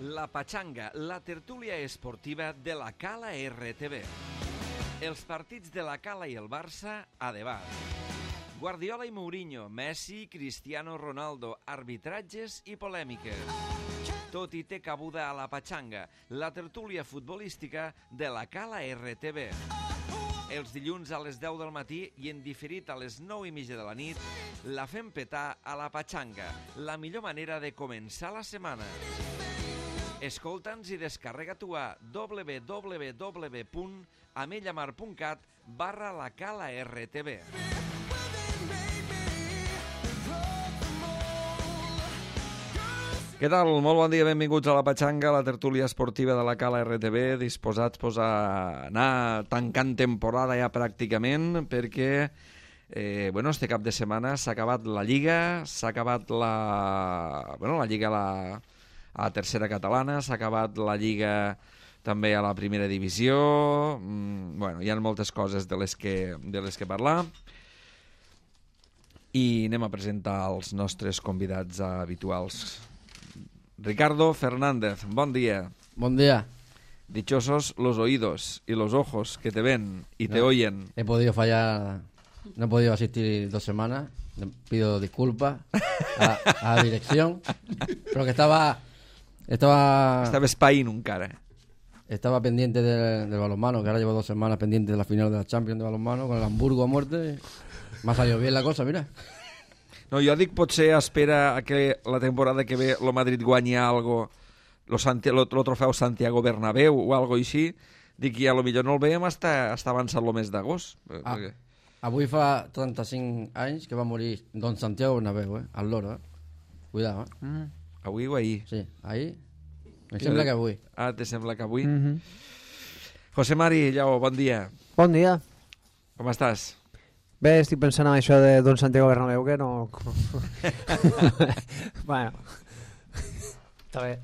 La Pachanga, la tertúlia esportiva de la Cala RTV. Els partits de la Cala i el Barça a debat. Guardiola i Mourinho, Messi, Cristiano Ronaldo, arbitratges i polèmiques. Tot hi té cabuda a la Pachanga, la tertúlia futbolística de la Cala RTV. Els dilluns a les 10 del matí i en diferit a les 9:30 de la nit, la fem petar a la Pachanga, la millor manera de començar la setmana. Escolta'ns i descarrega-t'ho a www.amellamar.cat/lacala-rtv. Què tal? Molt bon dia, benvinguts a la Pachanga, la tertúlia esportiva de la Cala RTV, disposats a anar tancant temporada ja pràcticament, perquè este cap de setmana s'ha acabat la Lliga, s'ha acabat la Lliga a la tercera catalana, s'ha acabat la Lliga també a la primera divisió, hi ha moltes coses de les que parlar, i anem a presentar els nostres convidats habituals. Ricardo Fernández, bon dia. Buen día. Dichosos los oídos y los ojos que te ven y te oyen. He podido fallar, no he podido asistir 2 semanas. Pido disculpas a la dirección, pero que estaba espaint encara. Estaba pendiente del balonmano, que ahora llevo 2 semanas pendiente de la final de la Champions de balonmano con el Hamburgo a muerte. Me ha salido bien la cosa, mira. No, jo dic potser espera a que la temporada que ve el Madrid guanyi algo, lo trofeu Santiago Bernabéu o algo així. Dic que a lo millor no el veiem hasta avançat el mes d'agost. Avui fa 35 anys que va morir Don Santiago Bernabéu, al loro, Cuidado, Avui o ahir? Sí, ahir. Me sembla que avui. Ah, te sembla que avui? José Mari Lleó, bon dia. Bon dia. Com estàs? Bé, estic pensant en això de Don Santiago Bernabéu, que no... Bueno, està bé.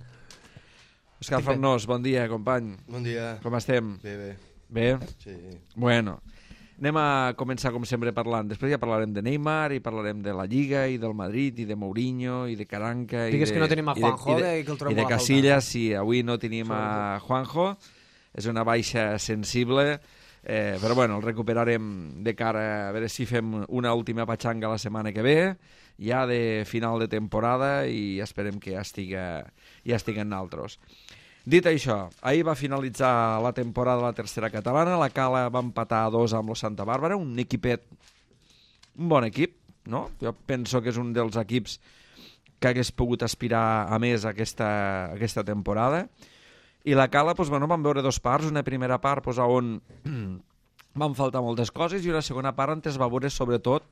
Òscar Farnós, bon dia, company. Bon dia. Com estem? Bé. Bé? Sí. Bueno, anem a començar com sempre parlant. Després ja parlarem de Neymar i parlarem de la Lliga i del Madrid i de Mourinho i de Caranca Digues que no tenim a Juanjo i que el trobem i de molt a Casillas. Sí, avui no tenim a Juanjo. És una baixa sensible, però bueno, el recuperarem de cara a veure si fem una última patxanga la setmana que ve, ja de final de temporada, i esperem que ja estiguen naltros. Dit això, ahir va finalitzar la temporada de la tercera catalana, la Cala va empatar a 2 amb el Santa Bàrbara, un bon equip, no? Jo penso que és un dels equips que hagués pogut aspirar a més aquesta temporada. I la Cala, vam veure 2 parts, una primera part on van faltar moltes coses i una segona part on es va veure sobretot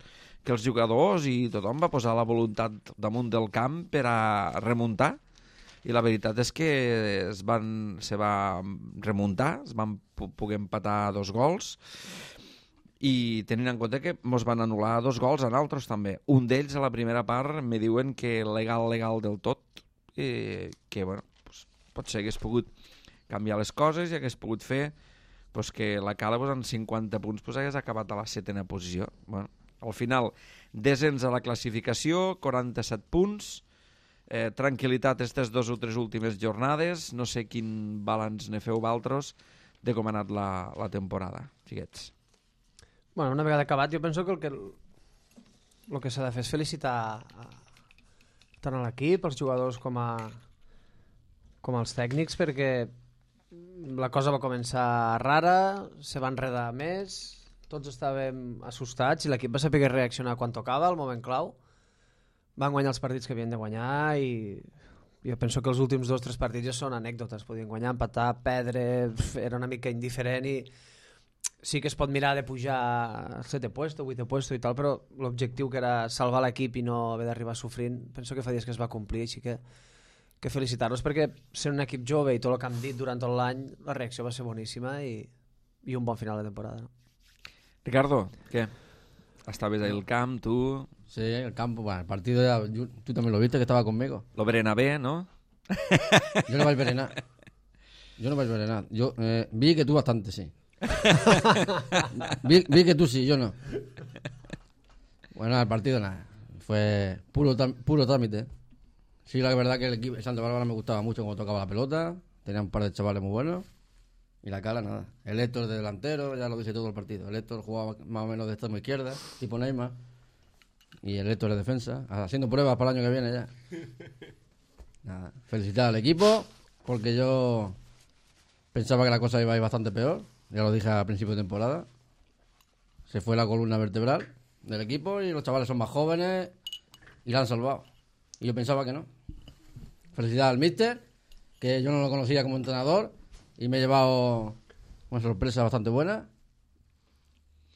que els jugadors i tothom va posar la voluntat damunt del camp per a remuntar, i la veritat és que se va remuntar, es van poder empatar 2 gols, i tenint en compte que ens van anul·lar 2 gols a nosaltres també. Un d'ells a la primera part me diuen que legal del tot, que potser hagués pogut canviar les coses i hagués pogut fer que la Cala amb 50 punts hagués acabat a la 7ª posició. Al final, descens a la classificació, 47 punts, tranquil·litat aquestes 2 o 3 últimes jornades. No sé quin balanç ne feu vosaltres de com ha anat la temporada, xiquets. Bueno, una vegada acabat, jo penso que el que s'ha de fer és felicitar tant a l'equip, els jugadors com els tècnics, perquè la cosa va començar rara, se va enredar més, tots estàvem assustats i l'equip va saber reaccionar quan tocava, al moment clau. Van guanyar els partits que havien de guanyar i jo penso que els últims 2 o 3 partits ja són anècdotes. Podien guanyar, empatar, perdre, era una mica indiferent, i sí que es pot mirar de pujar al 7è puesto, 8è puesto i tal, però l'objectiu, que era salvar l'equip i no haver d'arribar sofrint, penso que fa dies que es va complir, així que felicitar-los, perquè sent un equip jove i tot el que han dit durant tot l'any, la reacció va ser boníssima i un bon final de temporada. ¿No? Ricardo, què? Estaves ahí al camp, tú... Sí, el campo, bueno, el partido ya, tú también lo viste, que estaba conmigo. Lo Bernabé, ¿no? Yo no vaig ver nada. Yo vi que tú bastante, sí. vi que tú sí, yo no. Bueno, el partido nada. Fue puro trámite. Sí, la verdad que el equipo de Santa Bárbara me gustaba mucho cuando tocaba la pelota. Tenía un par de chavales muy buenos. Y la Cala, nada. El Héctor de delantero, ya lo dice todo el partido. El Héctor jugaba más o menos de extremo izquierda, tipo Neymar. Y el Héctor de defensa, haciendo pruebas para el año que viene ya. Nada. Felicitar al equipo, porque yo pensaba que la cosa iba a ir bastante peor. Ya lo dije a principio de temporada. Se fue la columna vertebral del equipo y los chavales son más jóvenes y la han salvado. Y yo pensaba que no. Felicidades al míster, que yo no lo conocía como entrenador y me he llevado una sorpresa bastante buena.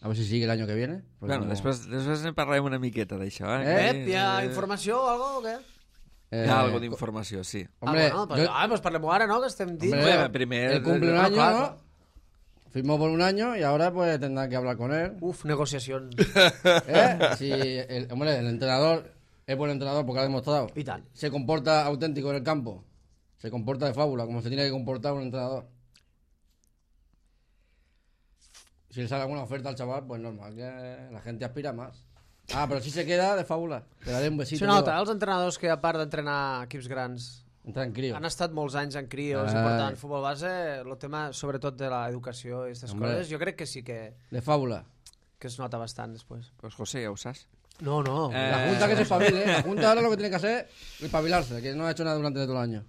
A ver si sigue el año que viene. Bueno, després ne parlarem una miqueta d'això. Hi ha informació o alguna cosa o què? Hi ha algo d'informació, sí. Hombre, pues parlem ara, ¿no? Que estem dins. hombre, primer... él cumple un año, claro. ¿no? Firmó por un año y ahora pues tendrán que hablar con él. Uf, negociación. Si el entrenador es buen entrenador porque ha demostrado. Y tal. Se comporta auténtico en el campo. Se comporta de fábula, como se tiene que comportar un entrenador. Si le sale alguna oferta al chaval, pues normal, que la gente aspira más. Pero si se queda de fábula. Le daré un besito. Se nota, els entrenadors que a part d'entrenar equips grans Entra en crío. han estat molts anys en crios i portant futbol base, el tema sobretot de l'educació i aquestes coses, jo crec que sí que De fábula. es nota bastant després. Pues José, ja ho saps. No. La Junta que se espabile. La Junta ahora lo que tiene que hacer es espabilarse, que no ha hecho nada durante todo el año.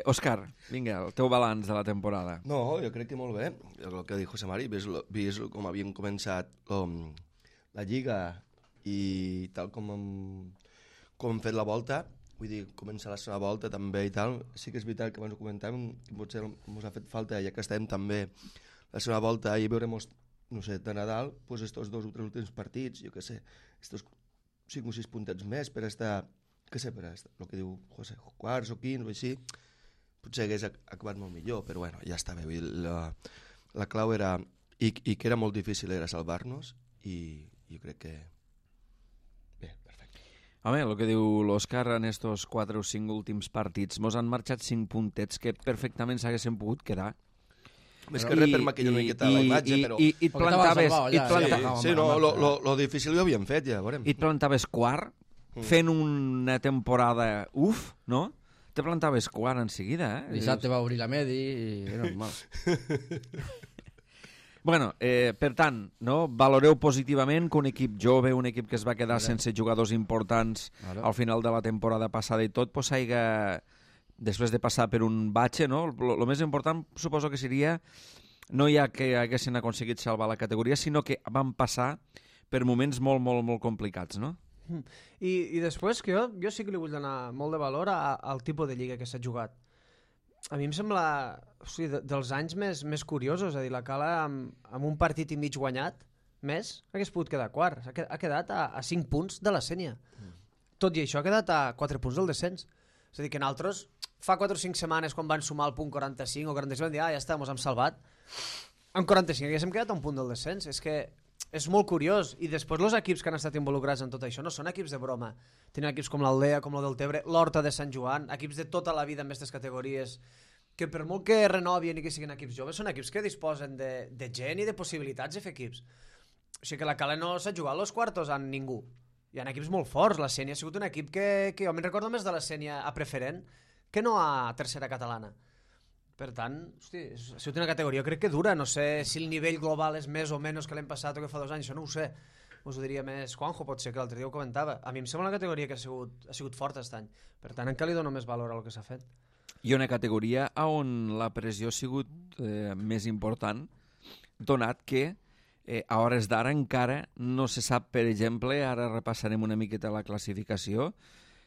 Òscar, vinga, el teu balanç de la temporada. No, jo crec que molt bé. El que diu José Mari, vist com havien començat la Lliga i tal com hem fet la volta, vull dir, començar la segona volta també i tal, sí que és veritat que abans ho comentàvem, que potser ens ha fet falta, ja que estem també la segona volta i veurem, no sé, de Nadal, pues estos 2 o 3 últims partits, jo què sé, estos 5 o 6 puntets més per estar, què sé, per estar, el que diu José, quarts o quins o així, potser hagués acabat molt millor, però bueno, ja està bé. La clau era, i que era molt difícil, era salvar-nos, i jo crec que... Bé, perfecte. Home, el que diu l'Òscar en estos 4 o 5 últims partits, mos han marxat 5 puntets que perfectament s'haguessin pogut quedar. Més que res per maquillar una miqueta la imatge, però... I et plantaves... Sí, no, lo difícil ho havíem fet, ja, veurem. I et plantaves quart, fent una temporada no? Te plantaves quart en seguida, Dissabte va obrir la Medi i era normal. Bueno, per tant, no? Valoreu positivament que un equip jove, un equip que es va quedar sense jugadors importants al final de la temporada passada i tot, pues haiga, després de passar per un batxe, no? Lo més important suposo que seria no ja que haguessin aconseguit salvar la categoria, sinó que van passar per moments molt, molt, molt complicats, no? I després que jo sí que li vull donar molt de valor al tipus de lliga que s'ha jugat. A mi em sembla dels anys més curiosos, és a dir, la Cala amb un partit i mig guanyat més hagués pogut quedar quart, ha quedat a 5 punts de la Sènia. Tot i això ha quedat a 4 punts del descens. És a dir, que nosaltres fa 4 o 5 setmanes quan van sumar el punt 45 o 45 van dir, ja està, mos hem salvat. En 45 haguéssim quedat a un punt del descens. És que és molt curiós, i després els equips que han estat involucrats en tot això no són equips de broma. Tenen equips com l'Aldea, com el del Tebre, l'Horta de Sant Joan, equips de tota la vida en aquestes categories, que per molt que renovien i que siguin equips joves, són equips que disposen de gent i de possibilitats de fer equips. O sigui que la Cala no s'ha jugat als quartos amb ningú. Hi ha equips molt forts, la Sènia ha sigut un equip que jo me'n recordo més de la Sènia a preferent que no a tercera catalana. Per tant, hosti, ha sigut una categoria, crec que dura. No sé si el nivell global és més o menys que l'hem passat o que fa 2 anys, això no ho sé. Us ho diria més Juanjo, pot ser, que l'altre dia ho comentava. A mi em sembla una categoria que ha sigut forta aquest any. Per tant, encara li dono més valor al que s'ha fet. I una categoria on la pressió ha sigut més important, donat que a hores d'ara encara no se sap, per exemple, ara repassarem una miqueta la classificació,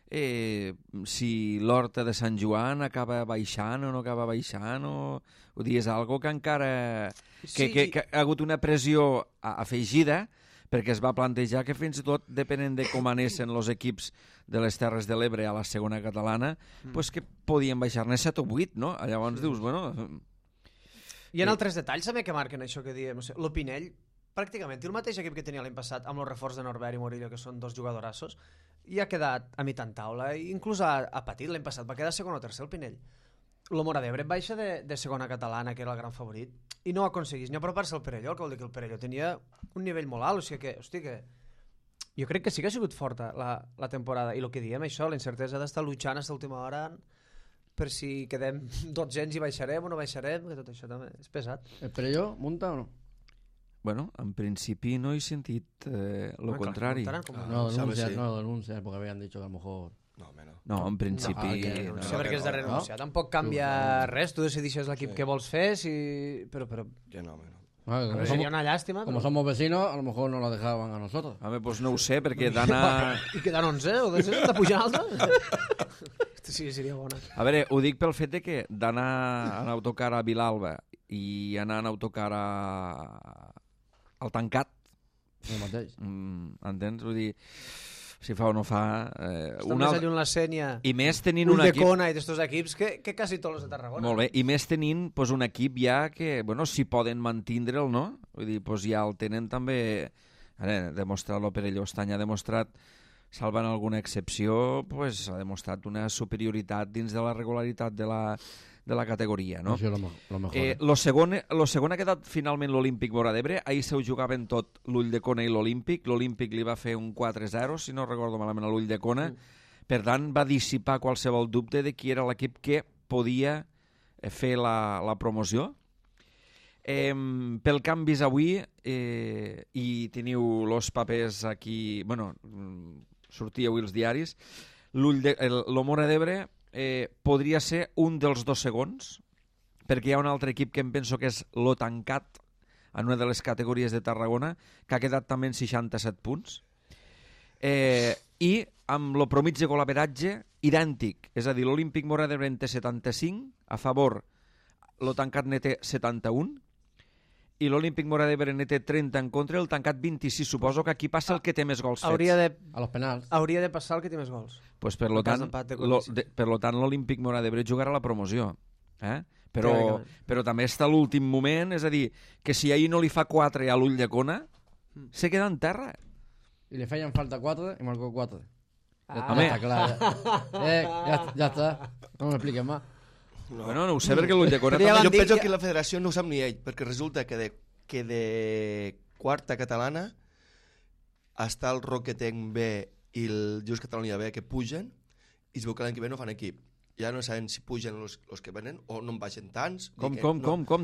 si l'Horta de Sant Joan acaba baixant o no acaba baixant, o és algo que encara que ha hagut una pressió afegida, perquè es va plantejar que fins i tot depenent de com anessin els equips de les Terres de l'Ebre a la segona catalana, pues que podien baixar-ne 7 o 8, no? Llavors dius, bueno... Hi ha altres detalls també que marquen això que diem. L'Opinell, pràcticament, té el mateix equip que tenia l'any passat amb el reforç de Norbert i Morillo, que són 2 jugadorassos, i ha quedat a mitjan taula, i inclús ha patit l'any passat, va quedar segon o tercer el Pinell. El Móra d'Ebre baixa de segona catalana, que era el gran favorit, i no aconseguís ni apropar-se al Perelló, que vol dir que el Perelló tenia un nivell molt alt, o sigui que, hosti, que Jo crec que sí que ha sigut forta la temporada, i el que diem, això, la incertesa d'estar luchant fins a l'última hora per si quedem 12 i baixarem o no baixarem, que tot això també és pesat. Però jo, munta o no? Bueno, en principi no he sentit lo contrari. No denuncias, porque habían dicho que a lo mejor... No, home, no. No, en principi... No sé per què has de renunciar. Tampoc canvia res, tu decidixes l'equip que vols fer, però Que no, home, no. seria una llàstima. Como somos vecinos, a lo mejor no lo dejaban a nosotros. Home, doncs no ho sé, perquè Dana... I quedant 11 o 12 de pujar alta? Sí, seria bona. A veure, ho dic pel fet de que d'anar en autocar a Vilalba i anar en autocar al Tancat, El mateix. entens? Vull dir, si fa o no fa... Està més lluny la Sènia, I més tenint un equip... Ulldecona i d'estos equips que quasi tots els de Tarragona. Molt bé, i més tenint pues, un equip ja que, bueno, si poden mantindre'l, no? Vull dir, pues, ja el tenen també... Ara, demostrar-lo Perelló Estany ha demostrat, salvant alguna excepció, pues, ha demostrat una superioritat dins de la regularitat de la categoria, no? Això és lo mejor. Lo segon ha quedat finalment l'Olímpic Móra d'Ebre. Ahir se ho jugaven tot l'Ulldecona i l'Olímpic. L'Olímpic li va fer un 4-0, si no recordo malament, a l'Ulldecona. Per tant, va dissipar qualsevol dubte de qui era l'equip que podia fer la promoció. Pel canvis avui, i teniu els papers aquí... Bueno, sortia avui els diaris. El Móra d'Ebre podria ser un dels 2 segons, perquè hi ha un altre equip que em penso que és lo Tancat, en una de les categories de Tarragona, que ha quedat també en 67 punts. I amb lo promig de golaveratge idèntic, és a dir, l'Olímpic Móra d'Ebre en té 75, a favor lo Tancat ne té 71, i l'Olímpic Móra d'Ebre ne té 30 en contra, el Tancat 26. Suposo que aquí passa el que té més gols fets. A los penals. Hauria de passar el que té més gols. Pues per lo tant, l'Olímpic Móra d'Ebre jugarà la promoció. Però també està a l'últim moment, és a dir, que si ahir no li fa 4 a l'Ulldecona, se queda en terra. Y le fallan falta 4 y marcó 4. Ah. Ya está claro. Ya está. No me expliques más. No. Bueno, no ho sé perquè l'Ulldecona... Jo penso que la federació no ho sap ni ell, perquè resulta que de quarta catalana està el Roquetenc B i el Just Catalunya B que pugen i es veu que l'any que ve no fan equip. Ja no saben si pugen els que venen o no en baixen tants. Com?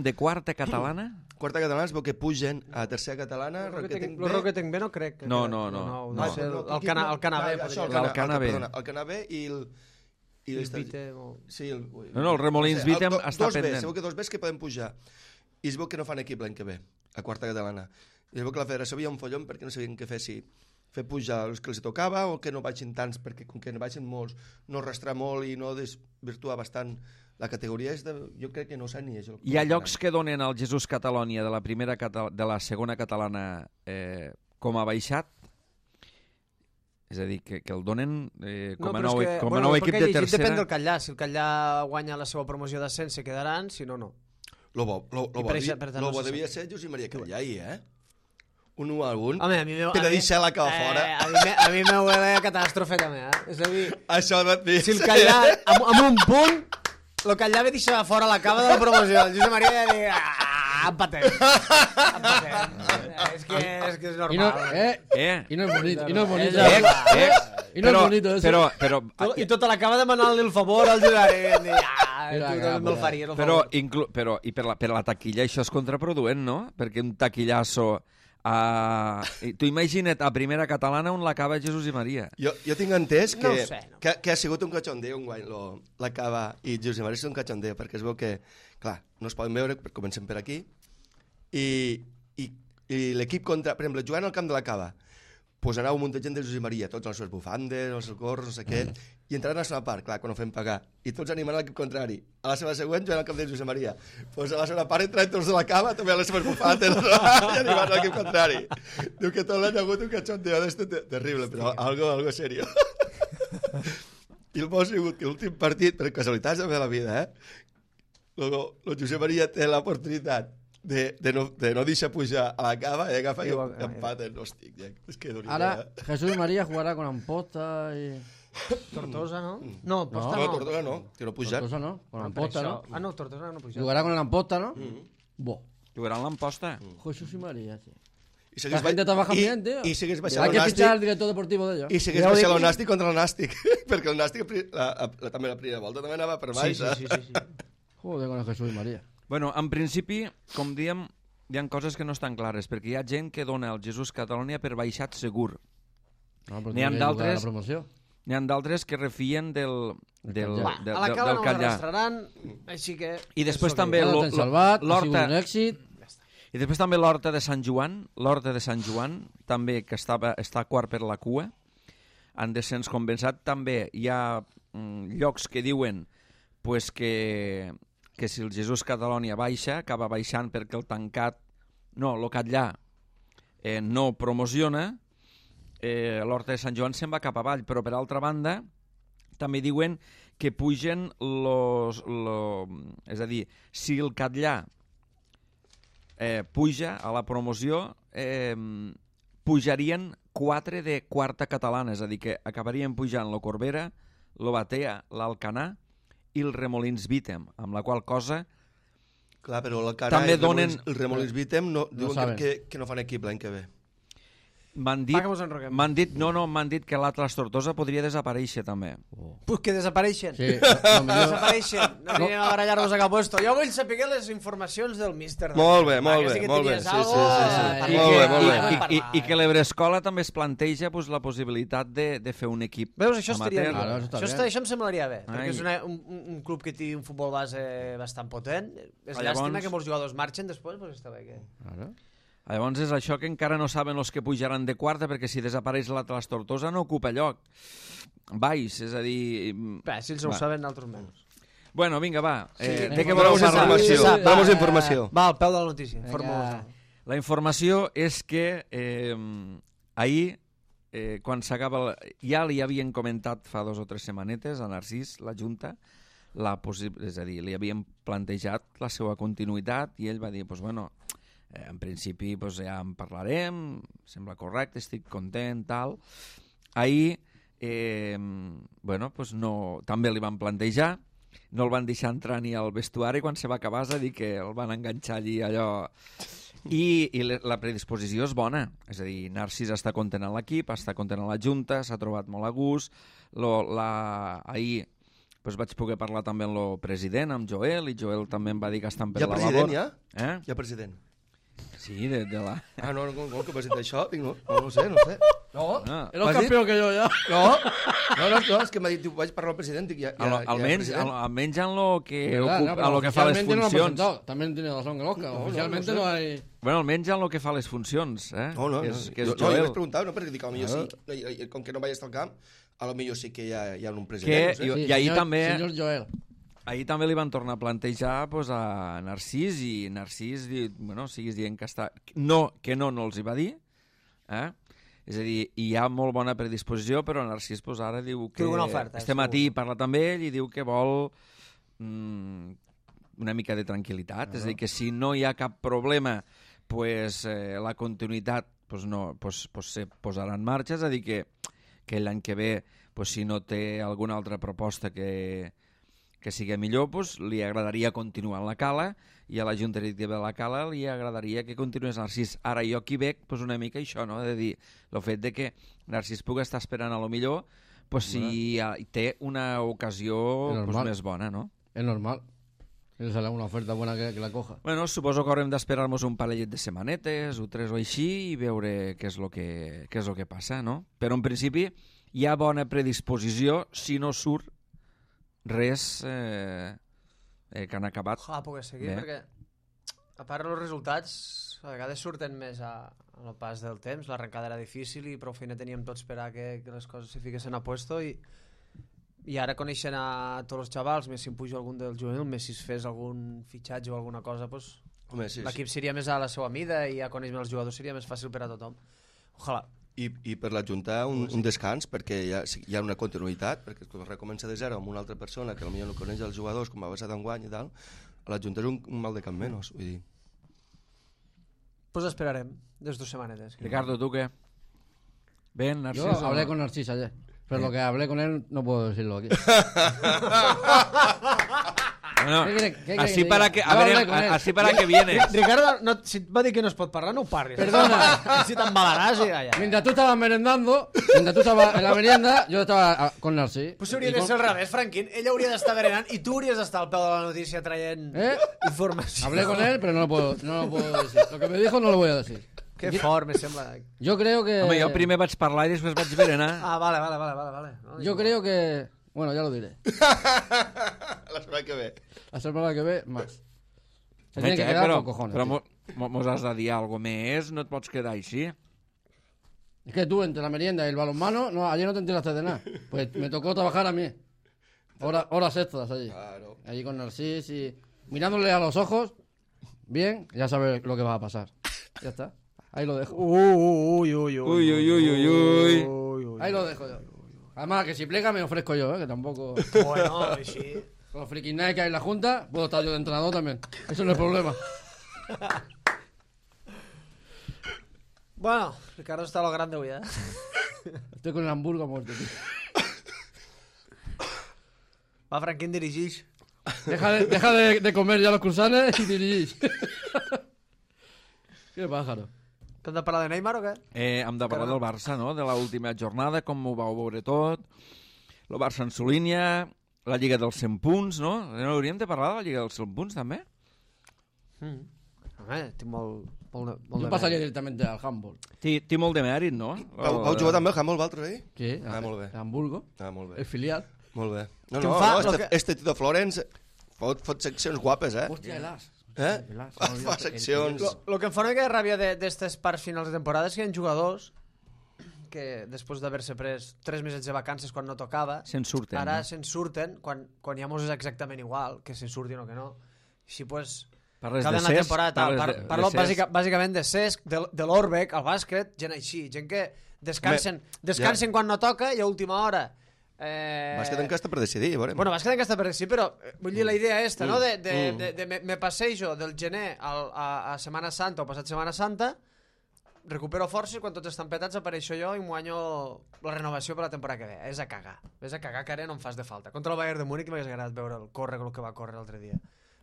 De quarta catalana? Quarta catalana es veu que pugen a tercera catalana, El Roquetenc B no crec. No. Sé, el Canabé. El Canabé. El Canabé i el... el Remolins Vitem està pendent. Es veu que 2 Bs que poden pujar. I es veu que no fan equip l'any que ve, a quarta catalana. I es veu que la federació havia un follon perquè no sabien què fer, si fer pujar els que els tocava o que no baixin tants, perquè com que no baixin molts, no arrastrar molt i no desvirtuar bastant la categoria. Jo crec que no sé ni és. Hi ha llocs que donen al Jesús Catalònia de la segona catalana com a baixat. És a dir, que el donen com a nou equip de tercera. Depèn del Catllà. Si el Catllà guanya la seva promoció d'ascens, se quedaran, si no, no. Lo bo devia ser Josep Maria Catllà ahir, Un 1-1. Home, a mi per deixar la cava fora. A mi me huele a catàstrofe, també, És a dir, això si el Catllà, amb un punt, el Catllà ve deixar fora la cava de la promoció. El Josep Maria ja diu... empatem. És que és normal. I no és bonito. I no és bonito. I no és bonito eso. Però, I tota l'acaba demanant-li el favor al jugador. Me'l faries, el favor. Però i per la taquilla això és contraproduent, no? Perquè un taquillasso... tu imagina't a primera catalana on l'acaba Jesús i Maria. Jo tinc entès que, no sé, no. que ha sigut un cachondeo un guany l'acaba i Jesús i Maria és un cachondeo perquè es veu que, clar, no es poden veure, comencem per aquí i l'equip contra, per exemple, jugant al camp de la Cava, pues anava un munt de gent de Jesús i Maria, tots els seus bufandes, els seus gorros, no sé què, i entraven a la segona part, clar, quan ho fem pagar, i tots animant l'equip contrari. A la seva següent jugant al camp de Jesús i Maria. Pues a la segona part entraven tots de la Cava, també a les seves bufandes, i animant l'equip contrari. Diu que tot l'any ha hagut un cachondeo d'este terrible, però algo serio. I el bo ha sigut que l'últim partit, per casualitats de la vida, el Josep Maria té l'oportunitat de no deixar pujar a la cava y agafa y empaten. Hostia, es que durísimo. Ahora Jesús María jugará con Amposta y... Tortosa, ¿no? No, Amposta no. Tortosa no, que no pujar. Tortosa no, con Amposta, ¿no? Ah, no, Tortosa no pujar. Jugará con el Amposta, ¿no? Jugarà amb l'Amposta. Jesús y María, sí. I La gente trabaja bien, tío. I segueix baixant Hay el que fichar al Nàstic. director deportivo de ellos. I segueix baixant el Nàstic contra el Nàstic. Perquè el Nàstic, també la primera volta, també anava per baix. Sí. Joder, con el Jesús y María. Bueno, en principi, com diem, hi ha coses que no estan clares, perquè hi ha gent que dona el Jesús Catalunya per baixat segur. No, pero N'hi ha tiene que jugar d'altres- la promoción. N'hi ha d'altres que refien del A la cala no Catllà. l'arrastraran, així que... I després és també Ya lo han salvat, ha sido l'Horta un éxito. i després també l'Horta de Sant Joan, també que està quart per la cua, en descens compensat. També hi ha llocs que diuen pues, que si el Jesús Catalunya baixa, acaba baixant perquè el Catllà no promociona, l'Horta de Sant Joan se'n va cap avall, però per altra banda també diuen que pugen és a dir, si el Catllà puja a la promoció, pujarien 4 de quarta catalana, és a dir, que acabarien pujant lo Corbera, lo Batea, l'Alcanar i el Remolins Vítem, amb la qual cosa Clar, però la cara també el Remolins Vítem diuen saben. que no fan equip l'any que ve. m'han Va, que mos enroquem. dit que l'Atlas Tortosa podria desaparèixer també. Pues que desapareixen. Sí, lo millor- Desapareixen. No anirem a barallar-nos a cap puesto. Jo vull saber les informacions del míster. Molt bé, molt Que sí bé, que molt bé. tenies Sí, algo, sí. Molt bé, molt bé. I que l'Ebrescola també es planteja pues, la possibilitat de fer un equip Veus, això estaria amateur. bé. Claro, això està bé. Això em semblaria bé, Ai. perquè és un club que té un futbol base bastant potent. És Llavors- llàstima que molts jugadors marxen després, doncs està bé que... Claro. Llavors és això que encara no saben els que pujaran de quarta, perquè si desapareix l'Atlas Tortosa no ocupa lloc baix, és a dir... Bé, si ells no ho saben, altres menys. Bueno, vinga, va. De què Dona'm voleu parlar? informació. Va, Dona'm informació. Va, al peu de la notícia. Vinga. Informa-nos. La informació és que ahir, quan s'acaba... Ja li havien comentat fa 2 o 3 setmanetes a Narcís, la Junta, és a dir, li havien plantejat la seva continuïtat i ell va dir, pues, bueno, en principi pues, ja en parlarem, sembla correcte, estic content, tal. Ahir, bueno, pues no, també li van plantejar, no el van deixar entrar ni al vestuari quan se va acabar, és a dir, que el van enganxar allí allò... I la predisposició és bona, és a dir, Narcís està content amb l'equip, està content amb la Junta, s'ha trobat molt a gust, ahir pues, vaig poder parlar també amb el president, amb Joel, i Joel també em va dir que estan per Hi ha la president, labor. ja? Hi ha president. Sí, de la... Ah, no, que president d'això? Dic, no ho sé. No, Ah. era ¿Has el campeón que yo ya. No, és que m'ha dit, vaig parlar al president, dic, Almenys en lo que, ¿Verdad? No, a lo que fa les oficialmente no lo han funcions. presentado. También tiene razón el Oscar. Oficialmente no hay... Bueno, almenys en lo que fa les funcions, No, que és jo Joel. vaig preguntar, no, perquè dic, potser sí, com que no vaig estar al camp, potser sí que hi ha un president, Que- no sé. I ahir señor, també- Señor Joel. Ahir també li van tornar a plantejar pues, a Narcís, i Narcís bueno, siguis dient que està... No els hi va dir, és a dir, hi ha molt bona predisposició, però Narcís pues, ara diu que... Té una oferta, Este matí parla també ell i diu que vol una mica de tranquil·litat, és a dir, que si no hi ha cap problema, pues, la continuïtat pues, no, pues, se posarà en marxa, és a dir, que l'any que ve, pues, si no té alguna altra proposta que sigui millor, pues, li agradaria continuar en la Cala, i a la Junta Directiva de la Cala li agradaria que continués Narcís. Ara jo aquí veig pues, una mica això, no? De dir, el fet de que Narcís pugui estar esperant a lo millor, pues, si té una ocasió pues, normal. més bona, no? Es normal. Él sale una oferta buena que la coja. Bueno, suposo que haurem d'esperar-nos un parellet de setmanetes o 3 o així i veure què és el que passa, no? Però en principi hi ha bona predisposició si no surt res que han acabat. Ojalà pugui seguir, Bé. perquè a part els resultats a vegades surten més al pas del temps. L'arrencada era difícil i prou feina teníem tots per a que les coses se fiquessin a puesto i ara coneixent a tots els xavals, més si em pujo algun del juvenil, més si es fes algun fitxatge o alguna cosa, pues, Home, sí, l'equip seria més a la seva mida i ja conèixer els jugadors seria més fàcil per a tothom. Ojalà. I per la Junta un descans, perquè hi ha una continuïtat, perquè quan recomença de zero amb una altra persona que potser no coneix els jugadors, com va passar d'enguany i tal, a la Junta és un mal de cap menys, vull dir. Pues esperarem, des 2 setmanetes. Ricardo, ¿tú qué? ¿Ven, Narciso? Yo hablé con Narcís ayer. Pero lo que hablé con él no puedo decirlo aquí. No, ¿Qué así quiere para que que... diga? A Yo ver, hablé con él. así para que vienes. Ricardo, no, si et va dir que no es pot parlar, no ho parlis. Perdona. Si t'embalaràs i allà. Mientras tú estabas merendando, mientras tú estabas en la merienda, yo estaba con Narcís. Pues hauria de ser al revés, Franquín. Ell hauria d'estar berenant i tu hauries d'estar al peu de la notícia traient informació. Hablé con él, pero no lo puedo decir. Lo que me dijo no lo voy a decir. Que fort, me sembla. Yo creo que... Home, jo primer vaig parlar i després vaig berenar. Ah, vale. No, Yo creo que... Bueno, ya lo diré. La setmana que ve. La semana que ve, más. Se tiene que quedar con cojones. Però tío. mos has de dir alguna més, no et pots quedar així. Es que tú, entre la merienda y el balonmano, no, ayer no te enteraste de nada. Pues me tocó trabajar a mí. Horas extras allí. Claro. Allí con Narcís y... Mirándole a los ojos, bien, ya sabes lo que va a pasar. Ya está. Ahí lo dejo. Uy. Ahí lo dejo yo. Además, que si plega me ofrezco yo, que tampoco... Bueno, així... Con los frikis que hay en la junta, puedo estar yo de entrenador también. Eso no es problema. Bueno, Ricardo està a lo grande avui, eh? Estoy con el hamburgo a muerte, tío. Va, Franquín, dirigix. Deja de comer ya los cruzanes y dirigís. Qué pájaro. Que hem de parlar de Neymar o què? Hem de parlar del Barça, no? De l'última jornada, com ho vau veure tot. El Barça en su línia, la Lliga dels 100 punts, no? No hauríem de parlar de la Lliga dels 100 punts, també? Home, tinc molt Yo pasaría directamente al handball. Té molt de mèrit, no? Vau jugar també al handball, vosaltres, eh? Sí, molt bé. el Hamburgo, Molt bé. el filial. Molt bé. No, Què em fa? este Tito Florence fot seccions guapes, eh? Hostia, el as. Eh? Fa seccions... Lo que em fa una mica de ràbia d'estes parts finals de temporada és que hi ha jugadors que després d'haver-se pres 3 mesos de vacances quan no tocava, Se'n surten, ara no? se'n surten quan ja mos és exactament igual, que se'n surtin o que no. Així, pues, Parles cada de la Cesc, temporada tal. Parlo bàsicament de Cesc, de l'Orbec, al bàsquet, gent així, gent que descansen quan no toca i a última hora. Bàsquet encara està per decidir, veurem. Bueno, bàsquet encara està per decidir, però vull dir la idea esta, no? Me passejo del gener a Setmana Santa o passat Setmana Santa, recupero forces, quan tots estan petats apareixo jo i m'ho guanyo la renovació per la temporada que ve. És a cagar, que ara no em fas de falta. Contra el Bayern de Múnich m'hagués agradat veure el que va córrer l'altre dia.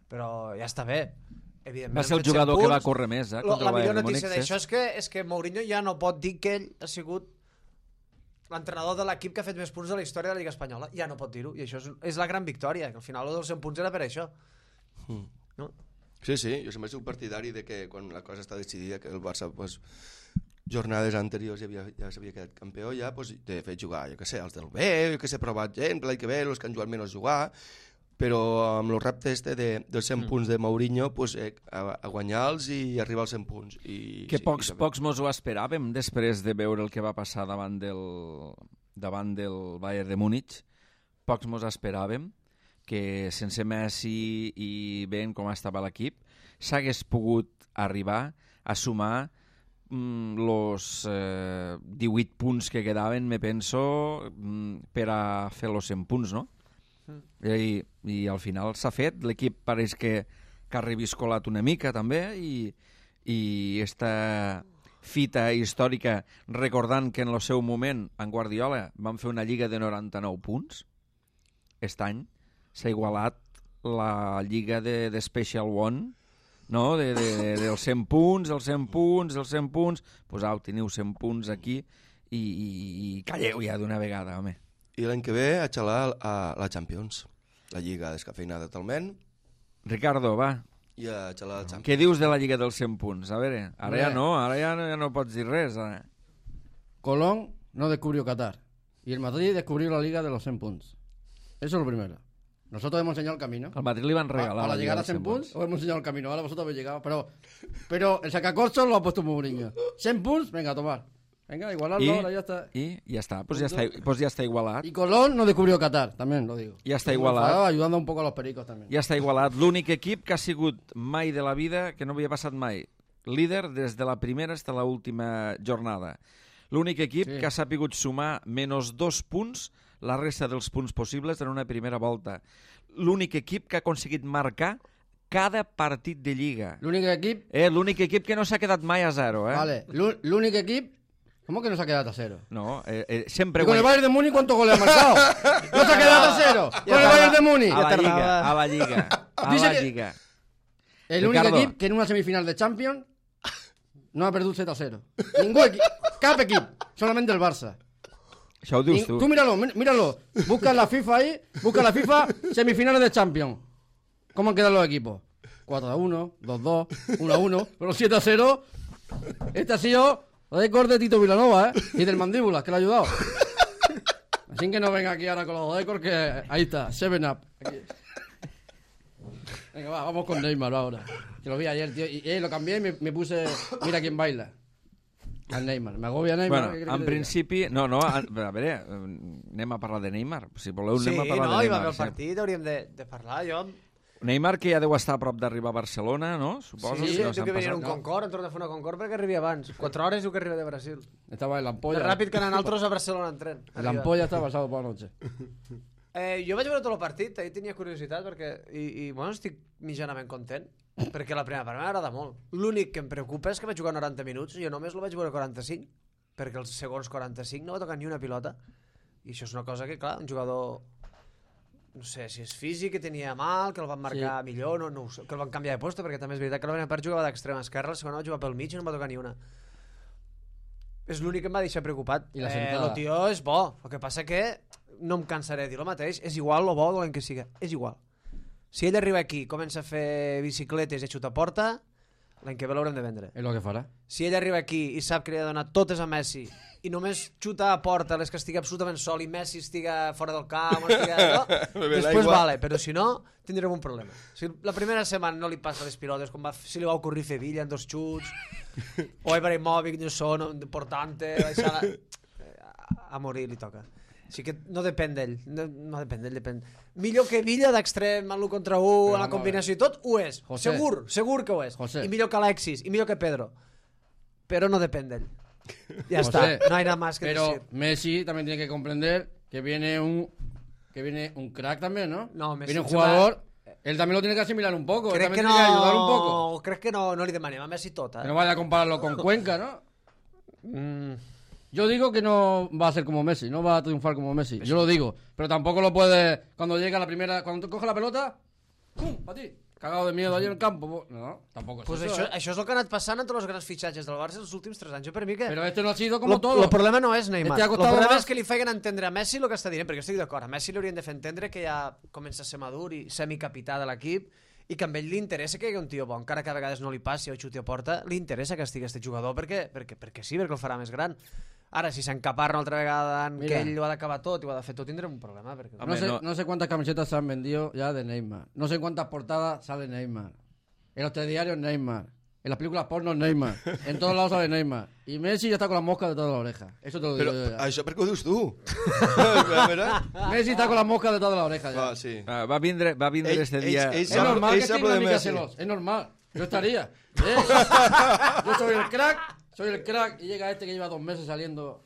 Però ja està bé. Evidentment, Va ser el jugador que va córrer més, contra la el millor Bayern de Múnich. notícia d'això és que Mourinho ja no pot dir que ell ha sigut l'entrenador de l'equip que ha fet més punts de la història de la Lliga Espanyola. Ja no pot dir-ho, i això és la gran victòria, que al final el dels 100 punts era per això. No? Sí, jo sempre soc partidari de que quan la cosa està decidida, que el Barça, pues, jornades anteriors ja s'havia quedat campió, ja, pues, de fer jugar, jo què sé, els del B, jo què sé, provat gent, l'any que ve, els que han jugat menys jugar, però amb el repte este dels 100 punts de Mourinho, pues, a guanyar-los i arribar als 100 punts. Que pocs mos ho esperàvem després de veure el que va passar davant del Bayern de Múnich. Pocs mos esperàvem que sense Messi i ben com estava l'equip s'hagués pogut arribar a sumar los 18 punts que quedaven, me penso, per a fer los 100 punts, no? I al final s'ha fet, l'equip pareix que ha reviscolat una mica també i esta fita històrica, recordant que en el seu moment en Guardiola van fer una lliga de 99 punts, aquest any s'ha igualat la lliga de Special One, no? dels 100 punts, els 100 punts, els 100 punts, pues au, teniu 100 punts aquí i calleu ja d'una vegada, home. I l'any que ve a xalar a la Champions, la lliga descafeinada totalment. Ricardo, va. I a xalar la Champions. Què dius de la lliga dels 100 punts? A veure, ara ja no pots dir res. Colón no descubrió Qatar y el Madrid descubrió la liga de los 100 puntos. Eso es lo primero. Nosotros hemos enseñado el camino. Al Madrid le van a regalar. A la llegada a 100 puntos, os hemos enseñado el camino. Ahora vosotros habéis llegado. Pero el sacacorchos lo ha puesto Mourinho. 100 puntos, venga, a tomar. Venga, igualarlo, ahora ya está. Y ya está, pues ya está igualat. Y Colón no descubrió Qatar, también lo digo. Ja està igualat. Ayudando un poco a los pericos también. Ja està igualat. L'únic equip que ha sigut mai de la vida, que no havia passat mai, líder des de la primera fins a l'última jornada. L'únic equip que ha sapigut sumar -2 punts, la resta dels punts possibles en una primera volta. L'únic equip que ha aconseguit marcar cada partit de Lliga. L'únic equip que no s'ha quedat mai a 0. Vale, l'únic equip... ¿Cómo que no se ha quedado a 0? No, sempre... ¿Y con el Bayern de Múnich cuántos goles ha marcado? ¡No se ha quedado a 0! ¡Con el Bayern de Múnich! A la Lliga. a Dice la que- Lliga. El únic Ricardo. equip que en una semifinal de Champions no ha perdut 7-0. Ningú equip, cap equip, solamente el Barça. Això ho dius tu. Tú míralo. Busca la FIFA ahí, semifinales de Champions. ¿Cómo han quedado los equipos? 4-1, 2-2, 1-1, pero 7-0. Este ha sido récord de Tito Vilanova, y del Mandíbulas, que le ha ayudado. Así que no venga aquí ahora con los récords, que ahí está, 7-Up. Aquí. Venga, vamos con Neymar ahora. Que lo vi ayer, tío, y lo cambié y me puse, mira quién baila. Al Neymar. M'agobia Neymar. Bueno, què creus en que te principi... No, a veure, anem a parlar de Neymar. Si voleu, Sí, anem a parlar no, de hi va Neymar. haver el partit, hauríem de parlar. Jo... Neymar, que ja deu estar a prop d'arribar a Barcelona, no? Suposo. Sí, si no diu s'han que venia passat. un Concorde, hem tornat a fer una Concorde perquè arribi abans. 4 hores diu que arriba de Brasil. diga? Estaba en la ampolla. Més ràpid que anar nosaltres a Barcelona en tren. La Arriba. ampolla estaba pasado por la noche. Jo vaig veure tot el partit, ahir tenia curiositat perquè, i bueno, estic mitjanament content perquè la primera part m'agrada molt. L'únic que em preocupa és que vaig jugar 90 minuts i jo només el vaig veure 45 perquè els segons 45 no va tocar ni una pilota i això és una cosa que, clar, un jugador no sé si és físic, que tenia mal, que el van marcar millor, no ho sé, que el van canviar de posta perquè també és veritat que la primera part jugava d'extrema esquerra, la segona va jugar pel mig i no va tocar ni una. És l'únic que em va deixar preocupat. I la sentada. El tio és bo, el que passa que no em cansaré de dir el mateix, és igual o bo dolent que siga, és igual. Si ell arriba aquí, comença a fer bicicletes i a xutar a porta, l'any que ve l'haurem de vendre. Es lo que farà. Si ell arriba aquí i sap que li ha de donar totes a Messi i només xuta a porta les que estigui absolutament sol i Messi estiga fora del camp, no? Després vale, però si no, tindrem un problema. Si la primera setmana no li passa les pilotes, com si li va ocorrir fer Villa en 2 xuts, o Ibrahimovic, no son, portante, a morir li toca. Així que no depèn d'ell, no depèn d'ell, depèn. Millor que Villa d'extrem, en l'1 contra 1, en la combinació i tot, ho és. José. Segur que ho és. José. I millor que Alexis, i millor que Pedro. Però no depèn d'ell. Ya José, está, no hay nada más que Pero decir. Messi también tiene que comprender que viene un crack también, ¿no? No, Messi viene un se va- jugador, él también lo tiene que asimilar un poco, él Crec también que tiene que ayudar un poco. no, crec que no li demanem a Messi tot, Que no vaya a compararlo con Cuenca, ¿no? Mm, Yo digo que no va a ser como Messi, no va a triunfar como Messi. Yo lo digo, pero tampoco lo puede. Cuando llega la primera, cuando coge la pelota, ¡pum! A ti. Cagado de miedo allí en el campo. No, tampoco es pues eso. això és el que ha anat passant entre els grans fitxatges del Barça els últims 3 anys. Jo per mi que... Pero este no ha sido como todo. El problema no és Neymar. Este ha El costado problema más. és que li feien entendre a Messi el que està dient, perquè jo estic d'acord. A Messi li haurien de fer entendre que ja comença a ser madur i semicapità de l'equip i que a ell li interessa que hi hagi un tio bo, encara que a vegades no li passi o xuti a porta, li interessa que estigui este jugador perquè sí, perquè el farà més gran. Ara, si s'encaparra una altra vegada en Mira. que ell ho ha d'acabar tot i ho ha de fer tot, tindrem un problema. Perquè... Home, No sé cuántas camisetas se han vendido ya de Neymar. No sé cuántas portadas sale Neymar. En los telediarios Neymar. En las películas porno Neymar. En todos lados sale Neymar. Y Messi ya está con las moscas de todas las orejas. Eso te lo digo Però yo ya. això per què ho dius tu? A veure... Messi está con las moscas de todas las orejas ya. Va, sí. Va vindre este dia... Es normal que esté una de mica Messi. celos. Es normal. Yo estaría. Yo soy el crack y llega este que lleva 2 meses saliendo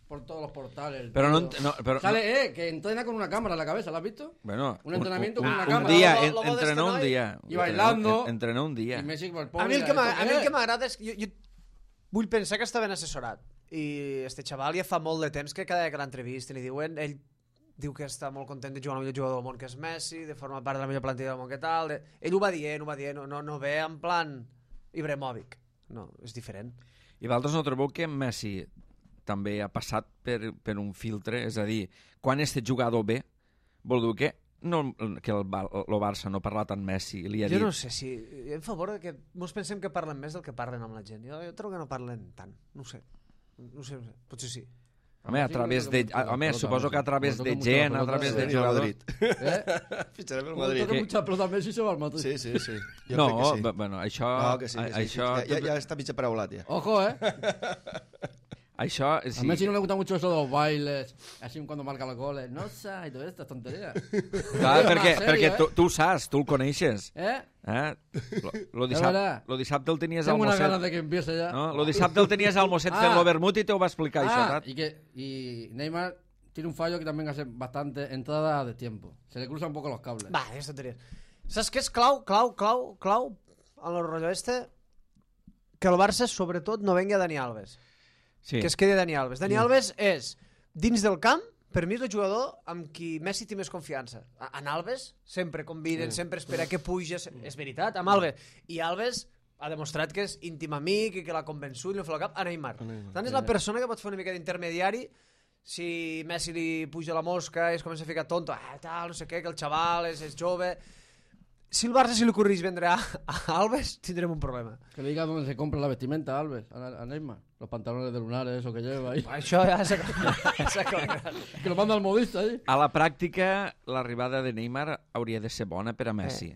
por todos los portales. el Però no, tío. no, però, Sale, que entrena con una cámara en la cabeza, ¿lo has visto? bueno, un entrenamiento con una un cámara. dia, Lo bo entrenó un d'este dia. I bailando. Entrenó un dia. Y Messi por el A pobre. mi el que ¿esto qué es? m'agrada és que jo vull pensar que està ben assessorat i este xaval ja fa molt de temps que cada vegada que l'entrevista li diuen, ell diu que està molt content de jugar amb el millor jugador del món que és Messi, de formar part de la millor plantilla del món que tal, ell ho va dient, no ve en plan Ibrahimovic, no, és diferent. I vosaltres no trobeu que Messi també ha passat per un filtre? És a dir, quan este jugador ve, vol dir que el Barça no parla tant Messi li ha Jo dit... no sé si... En favor de que mos pensem que parlen més del que parlen amb la gent. Jo trobo que no parlen tant. No sé. Potser sí. Home, a través de... Home, suposo que a través de gent, a través de Real jugadors... Madrid. Ficharem el Madrid. Toca mucha pelota a Messi se va al Madrid. Sí, sí, sí. Jo No, crec que sí. bueno, això... No, que sí, que sí. Això, Ja està mig paraulat, ja. Ojo, això, A sí. Messi no le gusta mucho eso de los bailes, así cuando marca los goles. No sé, y todas estas tonterías. Clar, perquè tu ho saps, tu el coneixes. ¿Eh? Lo verdad. dissabte el tenies al Tengo unas ganas Mosset. de que empiece ya. No? Lo dissabte el tenies al Mosset fent l'Overmut i te ho va explicar, això, saps? y Neymar tiene un fallo que también hace bastante entrada de tiempo. Se le cruzan un poco los cables. Va, és tonteria. Saps què és clau en el rotllo este? Que el Barça, sobretot, no vengui a Dani Alves. Sí. Que es quedi Dani Alves. Dani Alves és, dins del camp, per mi és el jugador amb qui Messi té més confiança. En Alves sempre conviden, sempre espera que puja, és veritat, amb Alves. I Alves ha demostrat que és íntim amic i que l'ha convençut i no fa el cap a Neymar. Tant és la persona que pot fer una mica d'intermediari si Messi li puja la mosca i es comença a ficar tonto, tal, no sé què, que el xaval és jove. Si el Barça li ocorreix vendre a Alves, tindrem un problema. Que le diga dónde se compra la vestimenta a Alves, a Neymar. Los pantalones de lunares, eso que lleva ahí. Això ja s'ha clarat. Que lo manda al modista ahí. A la pràctica, l'arribada de Neymar hauria de ser bona per a Messi.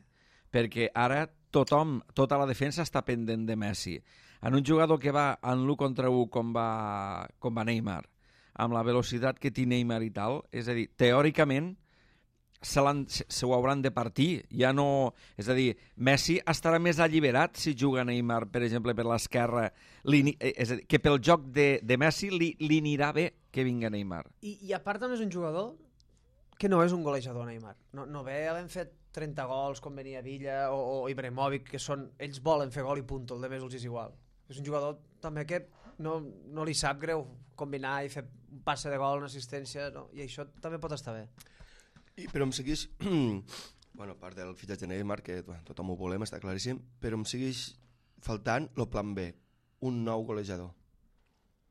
Perquè ara tothom, tota la defensa està pendent de Messi. En un jugador que va en l'1 contra 1 com va Neymar, amb la velocitat que té Neymar i tal, és a dir, teòricament se ho hauran de partir. Ja no... És a dir, Messi estarà més alliberat si juga Neymar, per exemple, per l'esquerra. És a dir, que pel joc de Messi li anirà bé que vinga Neymar. I a part també és un jugador que no és un golejador, Neymar. No ve havent fet 30 gols com venia Villa o Ibrahimovic, que són... Ells volen fer gol i punt, el de més els és igual. És un jugador també que no li sap greu combinar i fer un passe de gol, una assistència, no? I això també pot estar bé. Però em segueix, bueno, a part del fitxatge de Neymar, que tothom ho volem, està claríssim, però em segueix faltant el plan B, un nou golejador.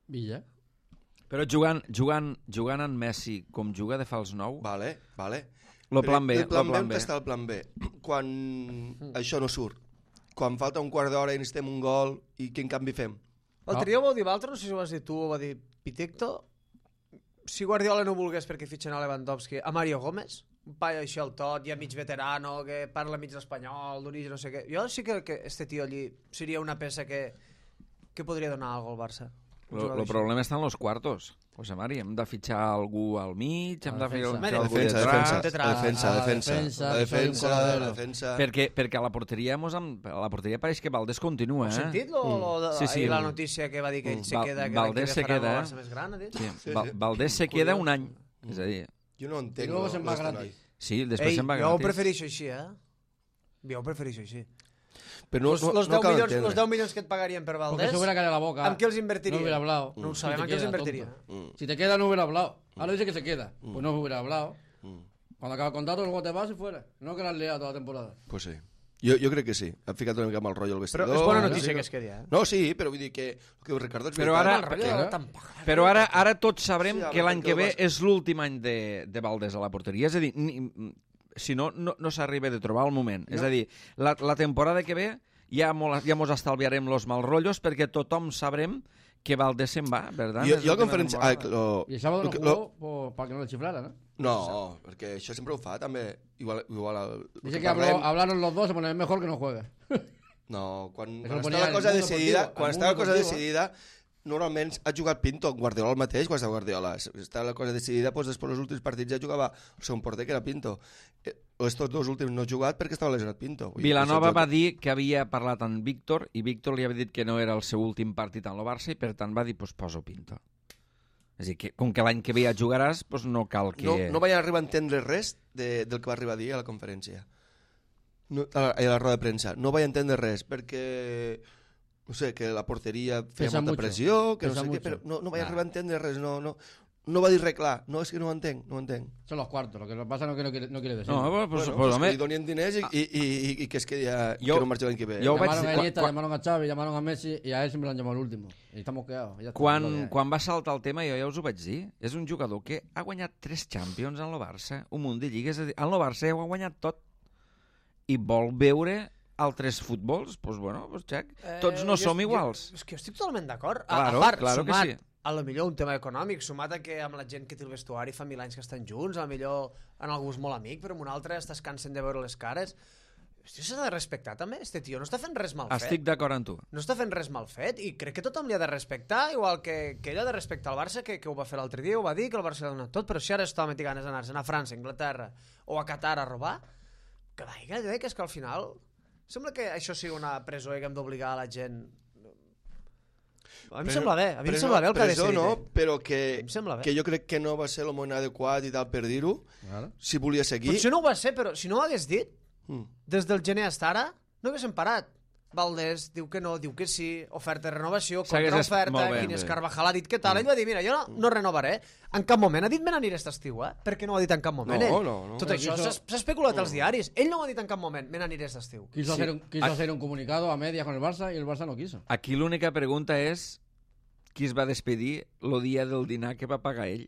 Villa. Però jugant en Messi com juga de fals nou... Vale. El plan B. El plan B, on està el plan B? Quan això no surt, quan falta un quart d'hora i necessitem un gol i quin canvi fem? L'altre dia ho vau dir l'altre, no sé si ho vas dir tu o ho va dir Pitecto, si Guardiola no volgués perquè fitxen a Lewandowski, a Mario Gómez, un paio així al tot, ja mig veterano, que parla mig espanyol, d'origen, no sé què. Jo sí que este tio allí seria una peça que podria donar alguna cosa al Barça. El problema està en los cuartos, José Mari. Hem de fitxar algú al mig, hem de fer algú defensa. Perquè a la porteria pareix que Valdés continua. Heu sentit la notícia que va dir que ell se queda, que Valdés se queda, el Barça més gran, ha dit? Valdés se queda un any, és a dir... Jo no entenc. I luego se'n va gratis. Sí, després se'n va gratis. Jo ho prefereixo així, Pero los 10 milions que et pagarien per Valdés, porque se hubiera caído la boca. ¿amb què els invertiria? No hubiera hablado. No ho sabem, amb què els invertiria. Si te queda, no hubiera hablado. Ahora dice que se queda. Pues no hubiera hablado. Cuando acaba el contrato, luego te vas y fuera. No que la has liado toda la temporada. Pues sí. Jo crec que sí. Ha ficat una mica amb el rotllo al vestidor. Però és bona notícia que es quedi, eh? No, sí, però vull dir que el que Ricardo... Però ara tots sabrem que l'any que ve és l'últim any de Valdés a la porteria. És a dir, si no s'arriba de trobar el moment. És a dir, la temporada que ve ja mos estalviarem los mal rotllos perquè tothom sabrem que Valdés se'n va, ¿verdad? Jo a conferència... Y el sábado no jugó para que no le chiflara, ¿no? No, perquè això sempre ho fa, també. Igual dice que hablaron los dos, se ponen mejor que no juegue. No, quan està la cosa decidida, normalment ha jugat Pinto, Guardiola el mateix, quan està Guardiola. Està la cosa decidida, doncs després dels últims partits ja jugava el segon porter, que era Pinto. Estos dos últims no ha jugat perquè estava lesionat Pinto. Vilanova va dir que havia parlat amb Víctor i Víctor li havia dit que no era el seu últim partit en el Barça i per tant va dir, doncs poso Pinto. És a dir, que com que l'any que ve ja jugaràs, doncs no cal que... No vaig arribar a entendre res del que va arribar a dir a la conferència. A la roda de premsa. No vaig entendre res, perquè... No sé, que la porteria feia molta pressió, que no sé què, però no vaig arribar a entendre res, no va dir res clar. No, és que no ho entenc. Son los cuartos, lo que pasa no quiere decir. No, pues que li donin diners i que es quedi que no marxi l'any que ve. Llamaron a Iniesta, llamaron a Xavi, llamaron a Messi y a él siempre lo han llamado el último. Y estamos quedados. Quan va saltar el tema, jo ja us ho vaig dir, és un jugador que ha guanyat 3 Champions en el Barça, un munt de lligues, en el Barça ho ha guanyat tot i vol veure altres futbols, doncs bueno, xec, tots no som iguals. És que jo estic totalment d'acord. Claro, a part, claro que sí. A lo millor un tema econòmic, sumat a que amb la gent que té el vestuari fa 1000 anys que estan junts, a lo millor en algú és molt amic, però en un altre estàs cansant de veure les cares. Hòstia, s'ha de respectar també, este tio, no està fent res mal fet. Estic d'acord amb tu. No està fent res mal fet i crec que tothom li ha de respectar, igual que ell ha de respectar el Barça, que ho va fer l'altre dia, ho va dir, que el Barça l'ha donat tot, però si ara està té ganes d'anar-se'n a França, Anglaterra o a Qatar a robar, que és que al final sembla que això sigui una presó i que hem d'obligar a la gent... A mi em sembla bé, el que ha decidit. No, però que jo crec que no va ser el moment adequat i tal per dir-ho, si volia seguir... Potser no ho va ser, però si no ho hagués dit, des del gener fins ara, no haguéssim parat. Valdés diu que no, diu que sí, oferta de renovació, S'hagués contraoferta, molt bé, Ginés bé. Carvajal ha dit què tal, ell va dir, mira, jo no renovaré, en cap moment ha dit me n'aniré aquest estiu, per què no ho ha dit en cap moment ell? No. Tot això s'ha especulat als diaris, ell no ho ha dit en cap moment, me n'aniré aquest estiu. Quiso hacer un comunicado a medias con el Barça y el Barça no quiso. Aquí l'única pregunta és qui es va despedir el dia del dinar que va pagar ell.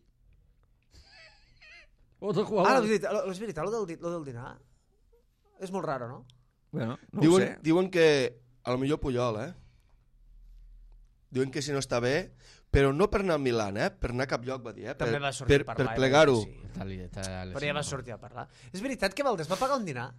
Otro jugador. És veritat, lo del dinar? És molt raro, no? Bueno, no ho sé. Diuen que a lo millor Puyol, Diuen que si no està bé, però no per anar a Milan, per anar a cap lloc, va dir, També va sortir a parlar. Per plegar-ho. Sí. Però ja va sortir a parlar. És veritat que Valdés va pagar un dinar?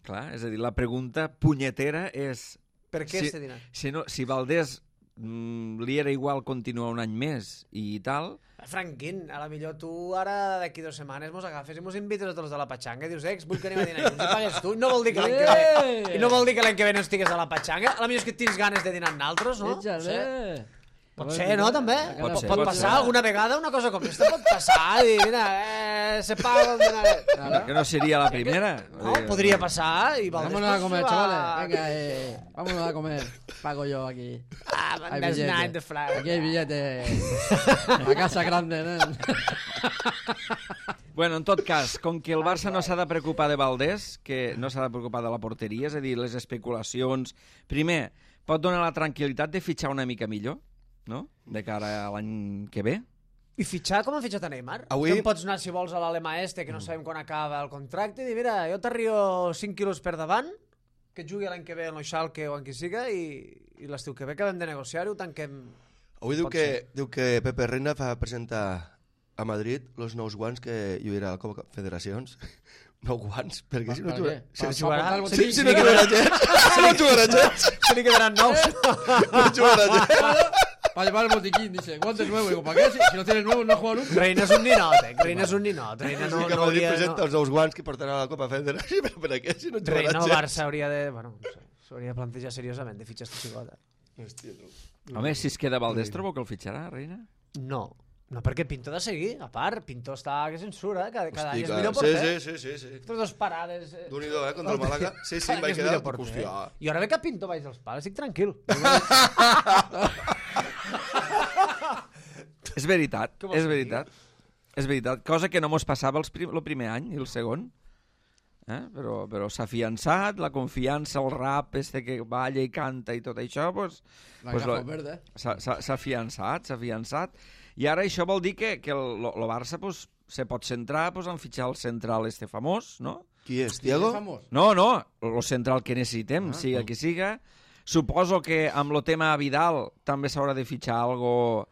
Clar, és a dir, la pregunta punyetera és... Per què este dinar? Si Valdés li era igual continuar un any més i tal... Franquín, a la millor tu ara d'aquí 2 setmanes mos agafes i mos invites a tots de la patxanga i dius, vull que anem a dinar junts i pagues tu, no vol dir que l'any que ve i no vol dir que l'any que ve no estigues a la patxanga, a la millor és que tens ganes de dinar amb naltros, no? Pot ser, no, també? Pot passar alguna vegada una cosa com aquesta, pot passar i mira, se paga un dinar. Que no seria la primera. No, podria passar i Valdés... Vámonos a comer, chavales. Venga, vámonos a comer. Pago yo aquí. Hay billete. Aquí hay billete. La casa grande, ¿no? Bueno, en tot cas, com que el Barça no s'ha de preocupar de Valdés, que no s'ha de preocupar de la porteria, és a dir, les especulacions... Primer, pot donar la tranquil·litat de fitxar una mica millor, no?, de cara a l'any que ve. I fitxar com han fitxat a Neymar? Avui... Que pots anar, si vols, a l'Alema que no sabem quan acaba el contracte, i dir, mira, jo t'arrio 5 quilos per davant, que jugui l'any que ve en l'Oixalque o en qui siga, i l'estiu que ve acabem de negociar-ho, tanquem... Avui diu que Pepe Reina va presentar a Madrid els nous guants que hi haurà a la Copa Federacions. Nou guants, perquè si no jugarà... Si no jugarà gens. Si no jugarà gens. Se li quedaran nous. No jugarà gens. Para llevar el botiquín, dice, guantes nuevos. Digo, ¿para qué? Si no tienes nuevos, no juega nunca. Reina és un ninot, Reina és un ninot. Reina no que Madrid hauria... presenta els nous guants que portarà a la Copa Federació, però per què si no jugarà gens? Reina o Barça hauria de... Bueno, no sé, s'hauria de plantejar seriosament de fitxar esta xicota. Hòstia, no. Home, si es queda Valdés, trobo que el fitxarà, Reina? No, perquè Pinto ha de seguir. A part, Pinto està que censura, cada any és Hòstia, millor porter. sí. Tres 2 parades... D'un-i-do, contra el Màlaga. Sí, em vaig quedar... Hòstia. I ara ve que Pinto vaig als pals, estic tranquil. És veritat, és veritat. És veritat, cosa que no mos passava el primer any i el segon. Però s'ha afiançat, la confiança, el rap que balla i canta i tot això, s'ha afiançat. I ara això vol dir que el Barça se pot centrar en fitxar el central famós, no? Qui és, Thiago? No, el central que necessitem, siga qui siga. Suposo que amb el tema Vidal també s'haurà de fitxar algo...